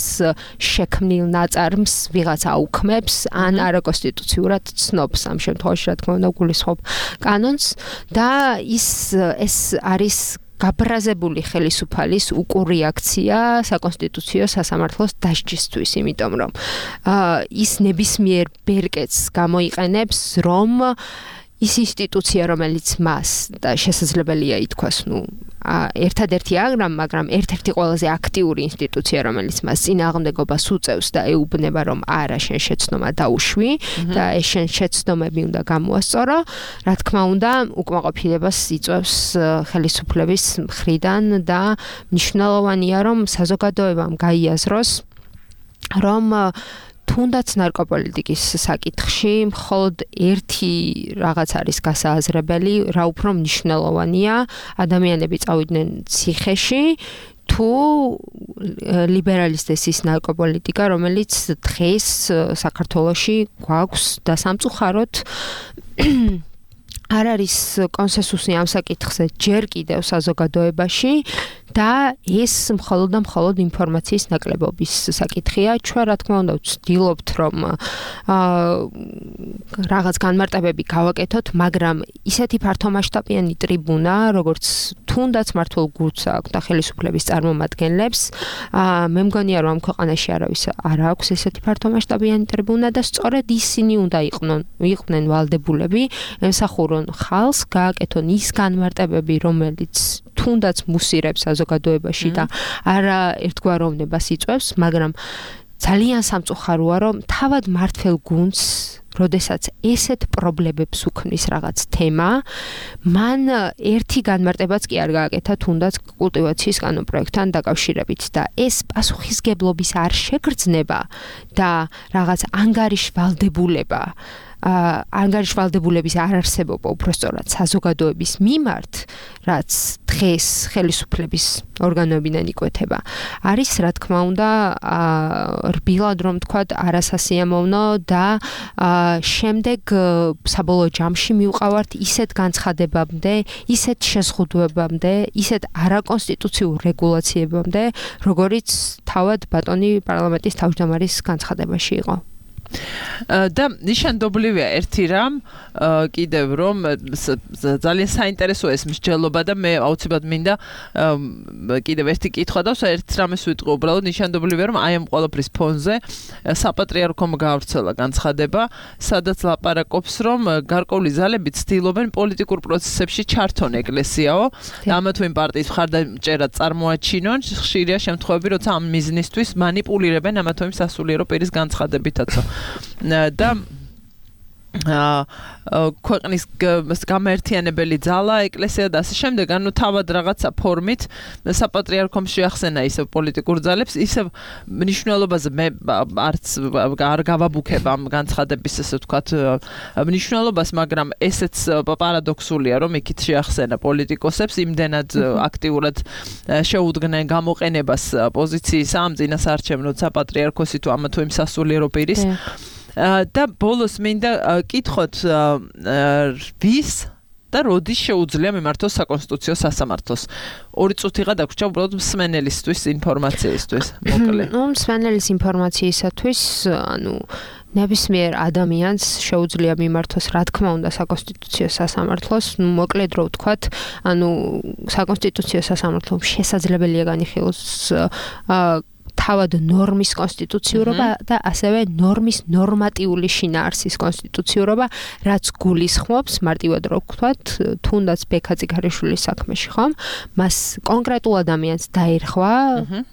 შექმნილ ნაწარმს ვიღაცა აუქმებს, ან არაკონსტიტუციურად ცნობს, ამ შემთხვევაში, რა თქმა უნდა, გულისხმობ კანონს და ის ეს არის გაბრაზებული ხელისუფალის უკურეაქცია საკონსტიტუციო სასამართლოს დასჯისთვის, იმიტომ რომ ის ნებისმიერ ბერკეტს გამოიყენებს, რომ ის ინსტიტუცია, რომელიც მას და შესაძლებელია ითქვას, ნუ ერთადერთი აღრამ, მაგრამ ერთ-ერთი ყველაზე აქტიური ინსტიტუცია, რომელიც მას წინააღმდეგობას უწევს და ეუბნება, რომ არა, შენ შეცდომა დაუშვი და ეს შენ შეცდომები უნდა გამოასწორო, რა თქმა უნდა, უკმაყოფილებას იწვევს ხელისუფლების მხრიდან და მნიშვნელოვანია, რომ საზოგადოებამ გაიაზროს, რომ თუნდაც ნარკოპოლიტიკის საკითხში მხოლოდ ერთი რაღაც არის გასააზრებელი, რა უფრო მნიშვნელოვანია, ადამიანები წავიდნენ ციხეში, თუ ლიბერალისტეს ის ნარკოპოლიტიკა, რომელიც დღეს საქართველოში გვაქვს და სამწუხაროდ არ არის კონსენსუსი ამ საკითხზე ჯერ კიდევ საზოგადოებაში და ეს მხოლოდ და მხოლოდ ინფორმაციის ნაკლებობის საკითხია. ჩვენ რა თქმა უნდა ვცდილობთ, რომ რაღაც განმარტებები გავაკეთოთ, მაგრამ ისეთი ფართომასშტაბიანი ტრიბუნა, როგორც თუნდაც მართულ გულს აქვს და ხელისუფლების წარმომადგენლებს, მე მგონია, რომ ამ ქვეყანაში არავის არ აქვს ესეთი ფართომასშტაბიანი ტრიბუნა და სწორედ ისინი უნდა იყვნენ, იყვნენ ვალდებულები, ემსახურონ ხალხს, გააკეთონ ის განმარტებები, რომელიც თუნდაც მუსირებს საზოგადოებაში და არა ერთგვაროვნებას იწვევს, მაგრამ ძალიან სამწუხაროა, რომ თავად მართლ გუნდს, როდესაც ესეთ პრობლემებს უქმნის რაღაც თემა, მან ერთი განმარტებაც კი არ გააკეთა თუნდაც კულტივაციის კანონპროექტთან დაკავშირებით და ეს პასუხისგებლობის არ შეგრძნება და რაღაც ანგარიშვალდებულება ანგარიშვალდებულების არარსებობა უпростоრად საზოგადოების მიმართ, რაც დღეს ხელისუფლების ორგანოებიდან იკვეთება, არის რა თქმა უნდა რბილად რომ თქვათ არასასიამოვნო და შემდეგ საბოლოო ჯამში მივყავართ ისეთ განცხადებამდე, ისეთ შეზღუდვებამდე, ისეთ არაკონსტიტუციურ რეგულაციებამდე, როგორიც თავად ბატონი პარლამენტის თავმჯდომარის განცხადებაში იყო. და ნიშანდობლივია ერთი რამ კიდევ რომ ძალიან საინტერესოა ეს მსჯელობა და მე აუცილებლად მინდა კიდევ ერთი კითხვა და ერთ რამეს ვიტყვი უბრალოდ ნიშანდობლივია რომ აი ამ ყველაფრის ფონზე საპატრიარქომ გავრცელა განცხადება სადაც ლაპარაკობს რომ გარკვეული ძალები ცდილობენ პოლიტიკურ პროცესებში ჩართონ ეკლესიაო და ამათ ვინ პარტიის მხარდამჭერად წარმოაჩინონ ხშირია შემთხვევები როცა ამ მიზნისთვის манипуლირებენ ამათ ვინ სასულიერო პირის განცხადებითაცო და ქვეყნის გამაერთიანებელი ძალა, ეკლესია და ასე შემდეგ, ანუ თავად რაღაცა ფორმით საპატრიარქომ შეახსენა ისევ პოლიტიკურ ძალებს, ისევ მნიშვნელობაზე მე არც არ გავაბუქებ ამ განცხადების ესე ვთქვათ მნიშვნელობას, მაგრამ ესეც პარადოქსულია, რომ იქით შეახსენა პოლიტიკოსებს, იმდენად აქტიურად შეუდგნენ გამოყენებას პოზიციის ამ წინასაარჩევნო საპატრიარქოსი თუ ამა თუ იმ სასულიერო პირის და ბოლოს მინდა კითხოთ ვის და როდის შეუძლია მიმართოს საკონსტიტუციო სასამართლოს. ორი წუთიღა დაგვრჩა უბრალოდ მსმენელისთვის ინფორმაციისთვის, მოკლე. ნუ მსმენელის ინფორმაციისათვის, ანუ ნებისმიერ ადამიანს შეუძლია მიმართოს, რა თქმა უნდა, საკონსტიტუციო სასამართლოს, ნუ მოკლედ რო ვთქვათ, ანუ საკონსტიტუციო სასამართლომ შესაძლებელია განიხილოს თავად ნორმის კონსტიტუციურობა და ასევე ნორმის ნორმატიული შინაარსის კონსტიტუციურობა, რაც გულისხმობს, მარტივად რო ვთქვათ, თუნდაც ბექაძე ქარიშვილის საქმეში, ხომ? მას კონკრეტულ ადამიანს დაერხვა,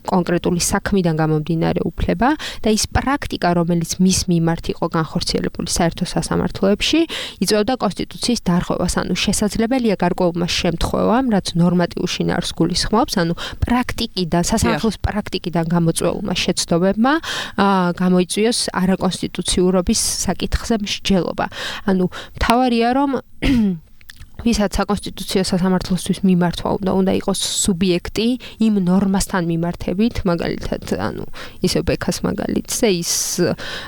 კონკრეტული საქმიდან გამომდინარე უფლება და ის პრაქტიკა, რომელიც მის მიმართ იყო განხორციელებული საერთო სასამართლოებში, იწვევდა კონსტიტუციის დარღვევას, ანუ შესაძლებელია გარკვეულმა შემთხვევამ, რაც ნორმატიულ შინაარსს გულისხმობს, ანუ პრაქტიკიდან, სასამართლოს პრაქტიკიდან გამოწვეულმა შეცდომებმა გამოიწვიოს არაკონსტიტუციურობის საკითხზე მსჯელობა. ანუ მთავარია, რომ ვისაც საკონსტიტუციო სასამართლოსთვის მიმართვა უნდა უნდა იყოს სუბიექტი იმ ნორმასთან მიმართებით, მაგალითად, ანუ ისე ბექას მაგალითზე ის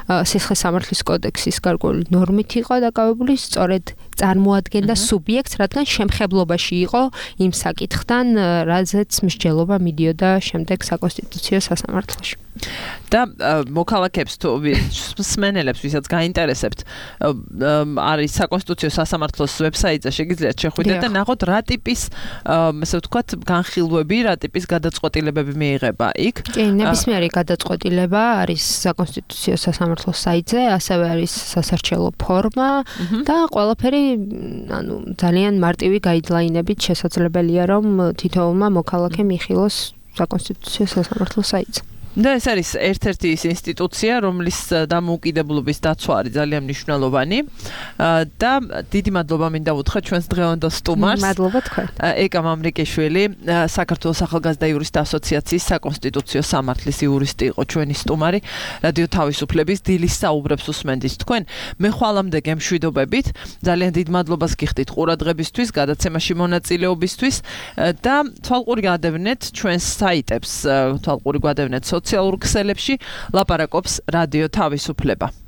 სისხლის სამართლის კოდექსის გარკვეული ნორმით იყო დაკავებული, სწორედ წარმოადგენდა სუბიექტს, რადგან შემხებლობაში იყო იმ საკითხთან, რაზეც მსჯელობა მიდიოდა შემდეგ საკონსტიტუციო სასამართლოში. და მოქალაქეებს თუ მსმენელებს, ვისაც გაინტერესებთ, არის საკონსტიტუციო სასამართლოს ვებსაიტზე შეგიძლიათ შეხვიდეთ და ნახოთ რა ტიპის, ასე ვთქვათ, განხილვები, რა ტიპის გადაწყვეტილებები მიიღება იქ. კი, ნებისმიერი გადაწყვეტილება არის საკონსტიტუციო სასამართლოს საიტზე, ასევე არის სასარჩელო ფორმა და ყველაფერი, ანუ ძალიან მარტივი გაიდლაინებით შესაძლებელია, რომ თითოეულმა მოქალაქემ იხილოს საკონსტიტუციო სასამართლოს საიტზე. და ეს არის ერთ-ერთი ის ინსტიტუცია, რომლის დამოუკიდებლობის დაცვა არის ძალიან მნიშვნელოვანი და დიდი მადლობა მინდა უთხრა ჩვენს დღევანდელ სტუმარს. მადლობა თქვენ. ეკა მამრიკიშვილი, საქართველოს ახალგაზრდა იურისტთა ასოციაციის საკონსტიტუციო სამართლის იურისტი იყო ჩვენი სტუმარი. რადიო თავისუფლების დილის საუბრებს უსმენთ თქვენ. მე ხვალამდე გემშვიდობებით. ძალიან დიდ მადლობას გიხდით ყურადღებისთვის, გადაცემაში მონაწილეობისთვის და თვალყური გადავნეთ ჩვენს საიტებს, თვალყური გადავნეთ სოციალურ ქსელებში, ლაპარაკობს რადიო თავისუფლება.